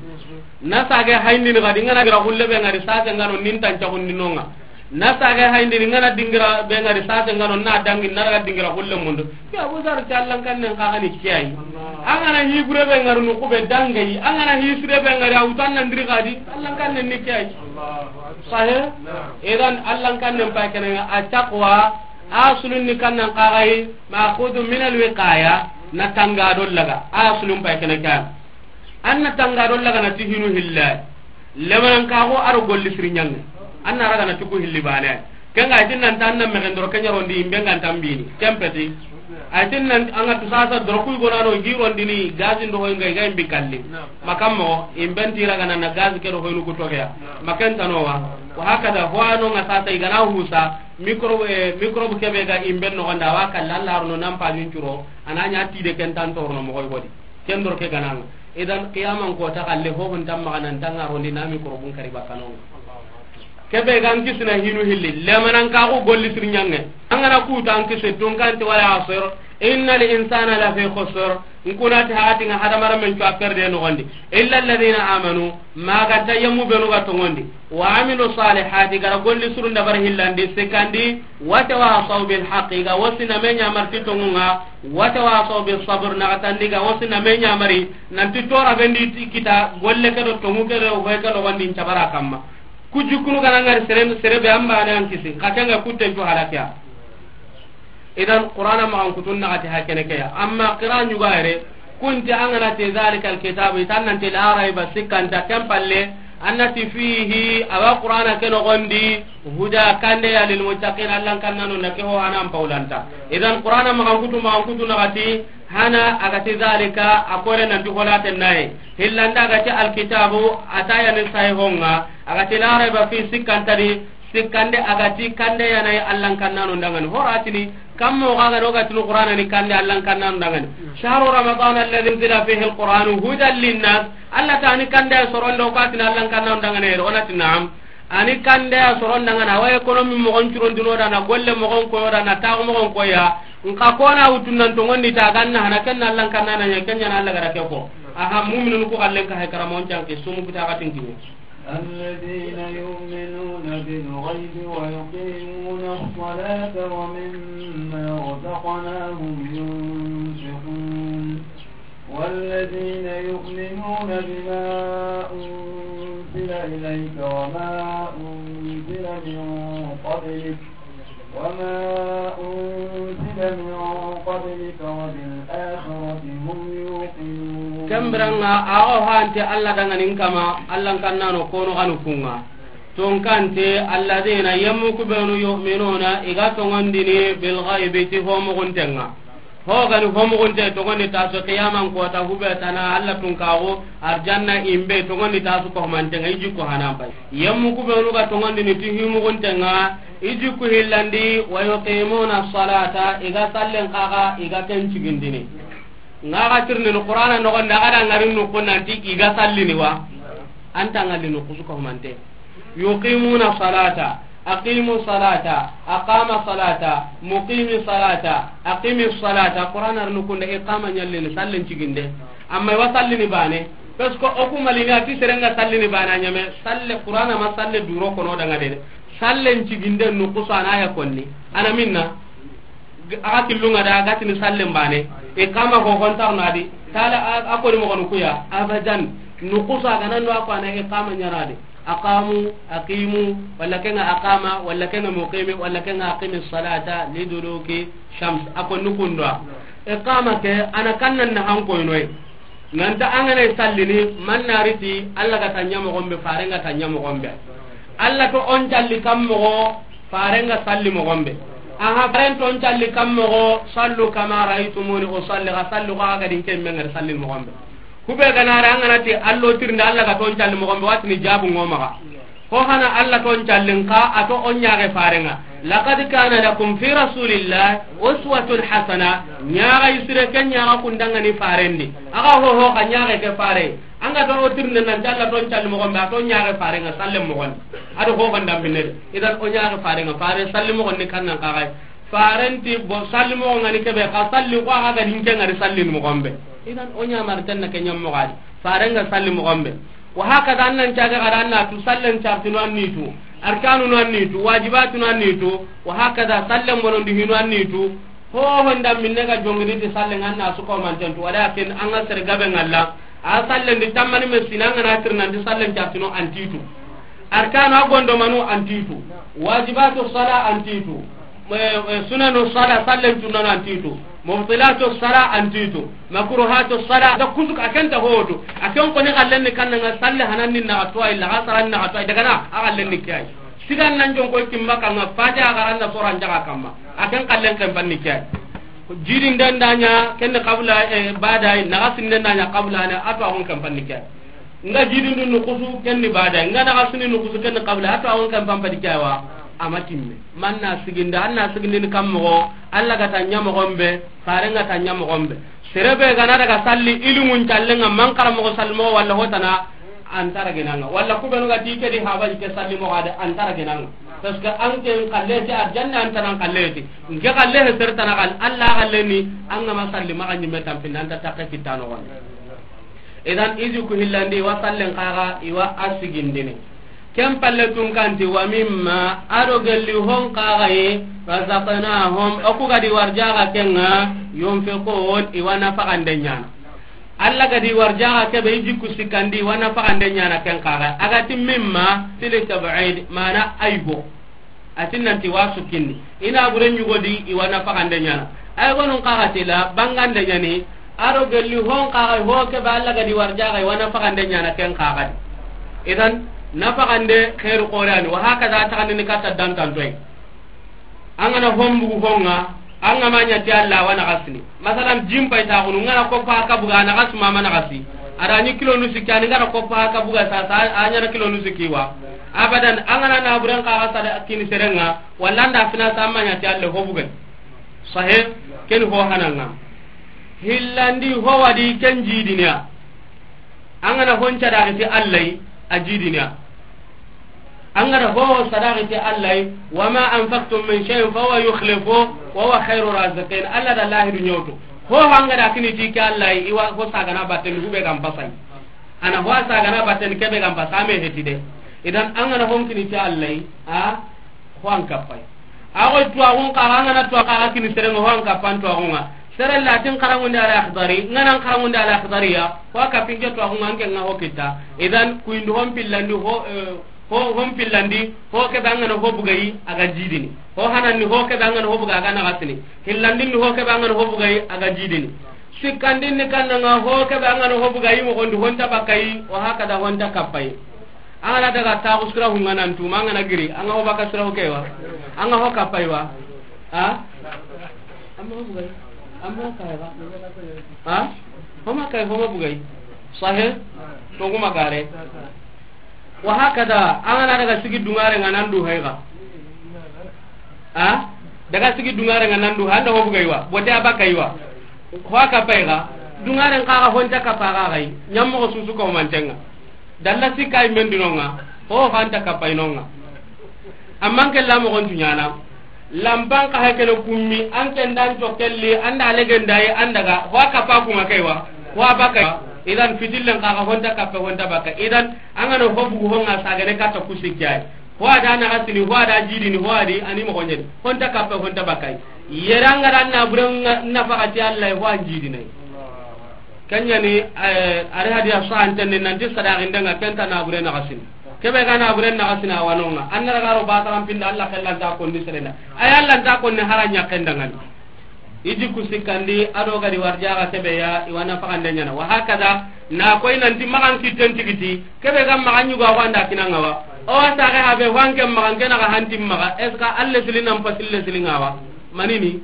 Na sage hayndini kadi ngana dingira hulle be ngari sase ngano nin tan tagundinonga. Na sage hayndini ngana dingira be ngari sase ngano na dangi na daga dingira hulle mundu. Ke Abu Dharr ti Allan kannen kaxani kiyai. Angana hi gure be ngari nuku be dangai. Angana hi sire be ngari awutan nan diri kadi. Allan kannen ni kiyai. Sahe? Idan Allan kannen pa kenanga a taqwa. Asulun ni kannan kaxay. Ma'khudun min al-wiqaya. Na tanga do laga. Asulun pa kenanga. An na tanga do laga na ti hinu hilla. Lemanan kaxo a ro golli siri ñange. An na raga na ti ku hilli bane. Kenga a ti nan tan na mexen doro ke ñarondi imbe ngan tambini. Kempeti. A ti nan anga tu sasa doro ku gonano girondini gazi ndo hoy ngai ga imbi kalli. Makam mo imben ti raga na gazi ke do hoynu ku togeya. Maken tanowa. Wa hakada ho ano nga sasa igana husa microbe, eh, microbe kebe ga imben no ganda wa kalla Allah no nan pa ñun curo. Ananya ti de ken tan torno mo hoy godi. Ken doro ke gananga. Idan qiyaman ko ta kalle ho hon tamma nan tanga rondi nami ko robun kari bakanonga. Kebe gan kisna hinu hilli. Lemanan kaxu golli siri ñange. Angana kuta an kisi tunkanti wala asr. Innal insana lafi khusr. Nkunati hakatinga hadamara men cuwa perde no gondi. Illa alladhina amanu. Maganta yemmu benu ga tongondi. Wa amilu salihati, gara golli surun dabar hillandi, sikandi, wa tawasaw bil haqqi, ga wasi na me ñamari ti tongunga, wa tawasaw bis sabr, na gatandi ga wasi na me ñamari, nanti tora bendi ti kita, golle ke do tongu ke do hoy ke do wandi cabara kamma. Ku jikunu gana ngari sere, sere be amba ne an kisi, ka kenga kutten cu halakiya. Idan Qur'ana maxan kutun naxati ha kene ke ya. Amma qira ñuga yere, kunti an gana ti zalikal kitabu, itan nanti la raiba sikkanta ken palle, annati fihi, awa Qur'ana ke noxondi, huda kande ya lil muttaqin, Allan kannanu na ke ho hanan paulanta. Idan Qur'ana maxan kutu, maxan kutu naxati, hana agati zalika, a kore nanti holaten naye. Hillanda agati alkitabu, atayani sahihonga, agati la raiba fi sikkantadi, Sikkande agati kande yanayi Allan kannanu ndangani. Horatini, kammo gaga no gatini Qur'ana ni kande Allan kannanu ndangani. Shahru Ramadan alladhi unzila fihi al-Qur'anu hudan linnas. Alla ta ni kande sorondo ko atini Allan kannanu ndangani. Onati na'am. Ani kande soron ndangana. Wa economy mogon curon duno dana, golle mogon koyo dana, taxu mogon koya. Nka kona wutunnan tongondi ta ganna hana kenna Allan kannana nya kenya na Alla gara ke ko. Aha, mu'minun ku kallen ka hay karamo janke sumu kita gatin kinya. الذين يؤمنون بالغيب ويقيمون الصلاة ومما رزقناهم ينفقون. والذين يؤمنون بما أنزل إليك وما أنزل من قبلك وما أنزل من قبلك وبالآخرة هم يوقنون. Kembiranga ago hante Alla danganin kama, Allan kannano kono ganu kunga. Tonkante, alladhina yemmu kubenu yu'minuna, iga tongondini bil ghaibi ti homuguntenga. Hogani homugunte tongondi tasu qiyaman kota hube tana Alla tunkaxu arjanna imbe tongondi tasu ko mantenga iji ko hanan pay. Yemmu kubenu ga tongondini ti himuguntenga iji ku hillandi wa yuqimuna salata iga sallen kaga iga ken cigindini. Ngaga tirni Qur'ana nogondi agada ngari nukunanti iga sallini wa. Anta ngalli nukusu ko mante. Yuqimuna salata. Aqimu salata, aqama salata, muqimi salata, aqimi salata. Qur'ana runu kunda iqama ñallini, sallen ciginde. Amma iwa sallini bane. Parce que oku malini ati serenga sallini bane a ñame. Salle Qur'ana ma salle duro kono danga dede. Sallen ciginde nukusu ana ya konni. Ana minna. Aga killunga da gatini sallen bane. Iqama ko hontarno adi. Tala a, a koni mogonu kuya. Abadan. Nukusu aga nando ako ana iqama ñanade. Aqamu, aqimu, walla kenga aqama, walla kenga muqimi, walla kenga aqimi salata liduluki shams. Ako nukundwa. Iqama ke, ana kannan na hankoynoy. Nanta angana sallini, mannariti, Alla ga tanya mogombe, farenga tanya mogombe. Alla to on calli kam mogo, farenga salli mogombe. Aha, faren to on calli kam mogo, sallu kama ra'aytumuni usalli, ga sallu ga ga din kemmenga salli mogombe. Kube ganara an ga na ti allo tirnde, Alla ga ton calli moxon be, wa tini jabu ŋo maxa. Ho hana Alla ton callin ka, a to o ɲaxe farenga. Laqad kana lakum fi rasulillahi uswatun hasana. Ɲaxa isire ke ɲaxa kundangani farendi. Aga ho ho ka ɲaxe ke fare. An ga to o tirnde nan ti Alla ton calli moxon be, a to ɲaxe farenga sallen moxon. A do ho handa minne. Idan o ɲaxe farenga, fare salli moxon ni kannan kaxay. Farenti bo salli moxo ngani kebe, xa salli ko aga ga dinke ngari salli moxon be. Idan o ɲamar tanna ke ɲam moxadi. Farenga salli moxon be. Wa hakada annan caga gara anna tu sallen cartinu annitu. Arkanu no annitu, wajibatu no annitu. Wa hakada sallen bonondi hinu annitu. Ho honda minne ga jongini ti sallen anna su ko mantentu. Walakin an ga sere gabe ngalla. A sallen di tammani me sina ngana tirnandi sallen cartinu antitu. Arkanu a gondomanu antitu. Wajibatu sala antitu. Eh, eh, sunanu sala, sallen cunnanu antitu. Mubtilatu sala antitu. Makruhatu sala, da kusu a kenta hotu. A ken koni xallen ni kannanga salle hanan ni naxa tuwa illa, xa saran naxa tuwa, daga na a xallen ni kiyai. Sigan nan jon koy kimma kanga, fati a xaran na soran jaga kamma. A ken xallen ken panni kiyai. Jidin den daɲa, ken qabla, eh, badai, naxa sinnen daɲa qabla ne, a to a xon ken panni kiyai. Nga jidindu nukusu kenni bada, nga naxasini nukusu kenni qabla, a to a won kan pampadi kyawa. Ama timme. Man na siginda, an na sigindini kam moxo, Alla ga ta ɲa moxon be, fare nga ta ɲa moxon be. Serebe ga na daga salli ilimun callenga, man kara moxo salli moxo walla hotana, an tara genanga. Walla kubenu ga ti ke di habaji ke salli moxo ade, an tara genanga. Parce que an ke n kalle ti arjanna, an tana n kalle ti. N ke kalle he sertana kal, Alla kalle ni, an ga ma salli maxa ɲimme tampinda, an ta takke kittano gon. Idan, iji ku hillandi, i wa sallen kaga, i wa a sigindini. Ken palle tun kanti, wa mimma, a do gelli hon kaga yi, razaqnahum, o ku gadi warjaga kenga, yunfiqun, i wa nafaqande ɲana. Alla gadi warjaga kebe, iji ku sikkandi, i wa nafaqande ɲana ken kaga. A ga ti mimma, fili tab'id, mana aygo. A ti nanti wa sukkinni. I na bure ɲugodi, i wa nafaqande ɲana. Ay gonun kaga ti la, bangande ɲani, a do gelli hon kaga, ho kebe Alla gadi warjaga, i wa nafaqande ɲana ken kaga di. Idan, nafaqande khairu qorani, wa hakaza taxandini katta dantantoy. An ga na hombugu honga, an ga ma ɲa ti Alla wa naxasini. Masalan, jin pay taxunu, n ga na koppa haka buga, a naxasi ma ma naxasi. A da ɲi kilo nu sikki, an ga na koppa haka buga, sa, sa, a ɲa na kilo nu sikki wa. Abadan, an ga na naburen kaga sada kini serenga, walla an da fina sa ma ɲa ti Alla ho bugay. Sahe, ken ho hananga. Hillandi ho wadi ken jidiniya. An ga na hon cadaxi ti Alla yi, a jidiniya. An ga da ho sadaxi ti Alla yi, wa ma anfaqtum min shay'in fa huwa yukhlifu wa huwa khairu raziqin. Alla da lahidu ɲoto. Ho hanga da kini ti ke Alla yi, i wa ho sagana batten hube gam pasay. Ana ho sagana batten kebe gam pasa me heti de. Idan an ga na hon kini ti Alla yi, a ho an kappay. A go tuwaxun kaga, an ga na tuwa kaga kini serenga, ho an kappan tuwaxunga. Sere latin karangundi Al Akhdari, n ga na karangundi Al Akhdariya, ho a kappinke tuwaxunga, an ke nga ho kitta. Idan, kuyindu hon pillandi, ho, eh, ho, hon pillandi, ho kebe an ga na ho bugayi, a ga jidini. Ho hananni, ho kebe an ga na ho buga, a ga naxasini. Hillandinni, ho kebe an ga na ho bugayi, a ga jidini. Sikkandinni kannanga, ho kebe an ga na ho bugayi, moxondi, honta bakkayi, wa hakada honta kappayi. An ga na daga taxu sira hunga nan tuma, an ga na giri, an ga ho baka sira ho kewa, an ga ho kapay wa? Ha? An ma ho bugay, an ma ho kay wa? Ha? Ho ma kay, ho ma bugay. Sahe? To kuma gare. Wa hakada, an ga na daga sigi dungare nga nan du hayga. Ha? Daga sigi dungare nga nan du, handa ho bugay wa, bote a bakay wa. Ho a kapay ga, dungaren kaga honta kapa ga gay, ɲam moxo susu ko mantenga. Dalla sikay mendinonga, ho hanta kapay nonga. Amman ke la moxon tuɲana. Lampan ka hakene kummi, an ken dan to kelli, anda legendaye, an daga, ho a kapa kuma kay wa, ho a bakay. Idan fitillen kaga honta kape, honta bakay. Idan, an ga na ho bugu honga sagane katta kusikay. Ho a da naxasini, ho a da jidini, ho a di, ani moxo ɲeni. Honta kappe, honta bakay. Yere an ga da na buren nafaxati Alla, ho an jidinay. Kenyani, eh, ari hadiya so an tenne nanti sadaxindenga kenta na bure naxasini. Kebe ga na bure naxasini a wanonga. An na raga ro bataran pinda Alla xellanta konni serenda. Ay Alla nta konni haranya kendangani. I jikku sikkandi, a do gadi warjaga kebe ya, i wa nafaxande ɲana. Wa hakada, na koy nanti maxan kitten tigiti, kebe ga maxan ɲugo a xo anda kinanga wa. O wa saxe habe, ho anke maxan ke naxa hanti maxa, est-ce que alle sili nan pasille sili nga wa? Manini?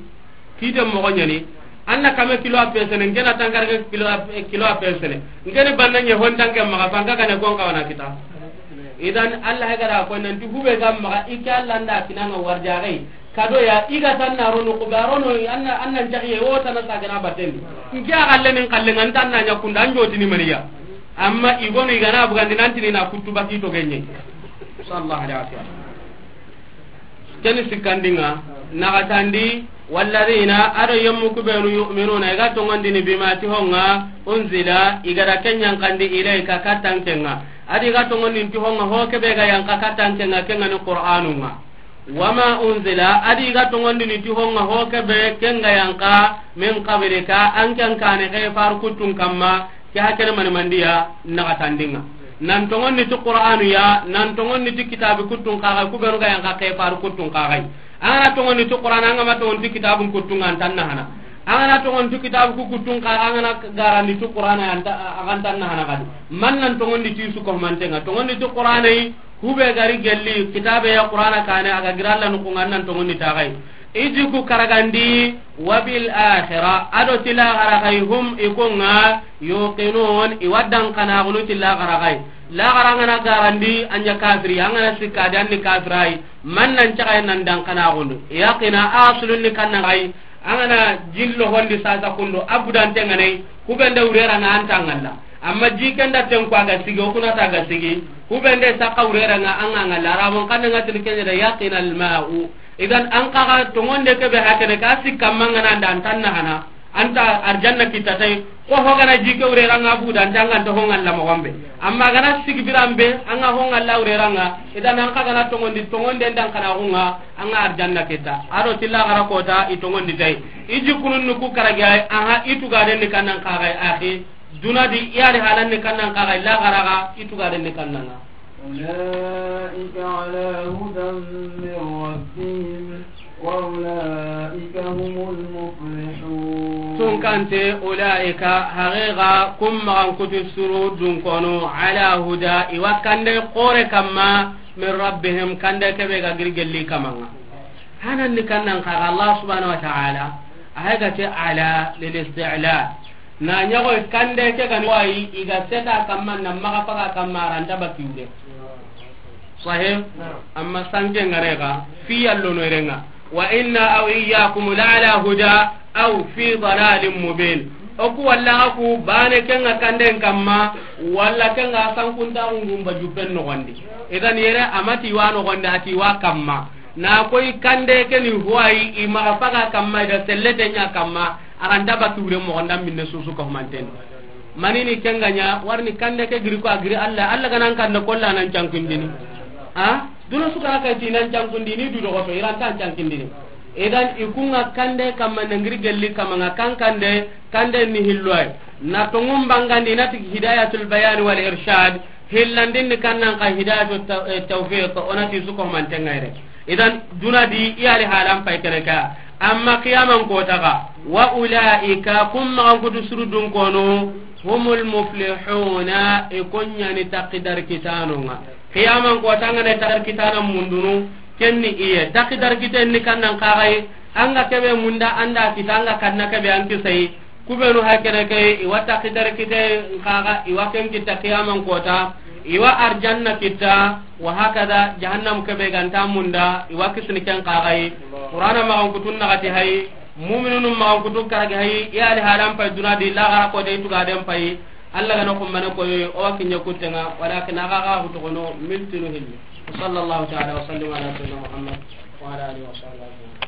Kite moxo ɲani. An na kame kilo a pesene, n ke na tankarage kilo a, kilo a pesene. N ke ni banna ɲe hon tanke maxa, fanka kane kon kawana kita. Idan, Allah ga da ko nanti hube ga maxa, i ke Allah nda kinanga warjagai. Kado ya, i ga tan na rono, ku ga rono, an na, an na njaxiye, wo tan na sagana batendi. N ke a galle nin kalle, n tan na ɲa kunda, an jotini maniya. Amma i gonu i gana bugandi nantini na kuttu baki to genye. Sallallahu alaihi wasallam. Keni sikkandinga, naxatandi, walladina, ado yemmu kubenu, yu'minuna, i ga tongondini bima ti honga, unzila, i ga da ken yankandi ilayka kattankenga. Adi i ga tongondini ti honga, ho kebe ga yanka kattankenga, kenga ni Qur'anunga. Wama unzila, adi i ga tongondini ti honga, ho kebe kenga yanka, min qablika, an ken kane ke faru kuttun kamma, Ke hakene mani mandiya naxatandinga. Nan tongondi ti Qur'anu ya, nan tongondi ti kitabi kuttun kaxay, kubenu ga yanka ke faru kuttun kaxay. An gana tongondi ti Qur'an, an ga ma tongondi ti kitabun kuttun, an tan na hana. An gana tongondi ti kitabu ku kuttun kaxa, an gana garandi ti Qur'an, an ta, an tan na hana kadi. Man nan tongondi ti su ko mantenga. Tongondi ti Qur'an yi, hube gari gelli, kitabe ya Qur'ana kane, aga giralla nukunga nan tongondi taxay. Iji ku karagandi, wa bil akhira, ado ti laxara xay, hum, i kunga, yuqinun, i wa dankanaxunu ti laxara xay. Laxara ngana garandi, anya kafiri, angana sikka di anni kafirai, man nan caxay nan dankanaxunu. Yaqina aslun ni kanna xay, angana jillo hondi sasa kundu, abudante nganay, kubende urera nga antangalla. Amma jikenda tenko aga sigi, okuna ta aga sigi, kubende saka urera nga angangalla. Arabon kanna ngatini kenya da yaqina al ma'u. Idan, an kaga tongonde kebe hakene ka sikka mangana nda an tan na hana, anta arjanna kitta tay, ko hogana jike urera nga buda, anta nga to honga la mogombe. Amma gana sigi birambe, anga honga la urera nga, idan an kaga na tongondi, tongonde ndan kana hunga, anga arjanna kitta. Ado tilla gara kota, i tongondi tay. Iji kunun nuku karagi ay, aha, itu gaden ni kannan kagai, akhi. Duna di, iyari halan ni kannan kagai, la garaga, itu gaden ni kannanga. أولئك على هدى من ربهم وأولئك هم المفلحون. Tunkante, ulaika, haqiqa, kum maxan kutu suru dunkono, ala huda, i wa kande xore kamma, min rabbihim, kande kebe ga giri gelli kamanga. Hanan ni kannan kaga Allah subhanahu wa ta'ala, a haga te ala lil isti'la. Na ɲago kande ke gani wayi, i ga seta kamma, na maga faga kamma, aranta baki wure. Sahih? Amma sanke ngare ga, fi yallo no renga. Wa inna aw iyyakum la ala huda aw fi dalalin mubin. Oku walla aku bane kenga kanden kamma, walla kenga sankunta ngumba jupen no gondi. Idan yere amati wa no gondi, ati wa kamma. Na koy kande ke ni huwayi, i maga faga kamma, i da sellete ɲa kamma, aranta baki wure moxo nda minne susu ka humanten. Manini kenga ɲa, warni kande ke giri ko a giri Allah, Allah ganan kande kolla nan cankundini. Ha? Duna su kana kay ti nan cankundini, du dogoto, iranta cankundini. Idan i kunga kande kamma na giri gelli kamanga kan kande, kande ni hilloy. Na tongum bangandi na ti hidayatul bayan wal irshad, Hillandin ni kannan ka hidayatu ta-, eh, tawfiq, onati su ko mantenga yere. Idan, duna di, i yali halan pay kene ka. Amma qiyaman kota ga, wa ulaika, kum maxan kutu suru dunkono, humul muflihuna, i kunyani taqidar kitanonga. Qiyaman kota ngane taqidar kitana mundunu, kenni iye. Taqidar kiten ni kannan kagai, anga kebe munda anda kita, anga kanna kebe an kisai. Kubenu hakene ke, i wa taqidar kite nkaga, i wa ken kita qiyaman kota, i wa arjanna kita, wa hakada jahannam kebe ganta munda, i wa kisni ken kagai. Qur'ana maxan kutun nagati hay, mu'minunun maxan kutun karagi hay, i ali halan pay duna di, lagara ko de tuga den pay. Allah gana kumbane koy, o wa kinya kutenga, walakin aga ga hutogono miltinu hilli. Sallallahu ta'ala wa sallim ala sayyidina Muhammad wa ala alihi wa sahbihi ajma'in.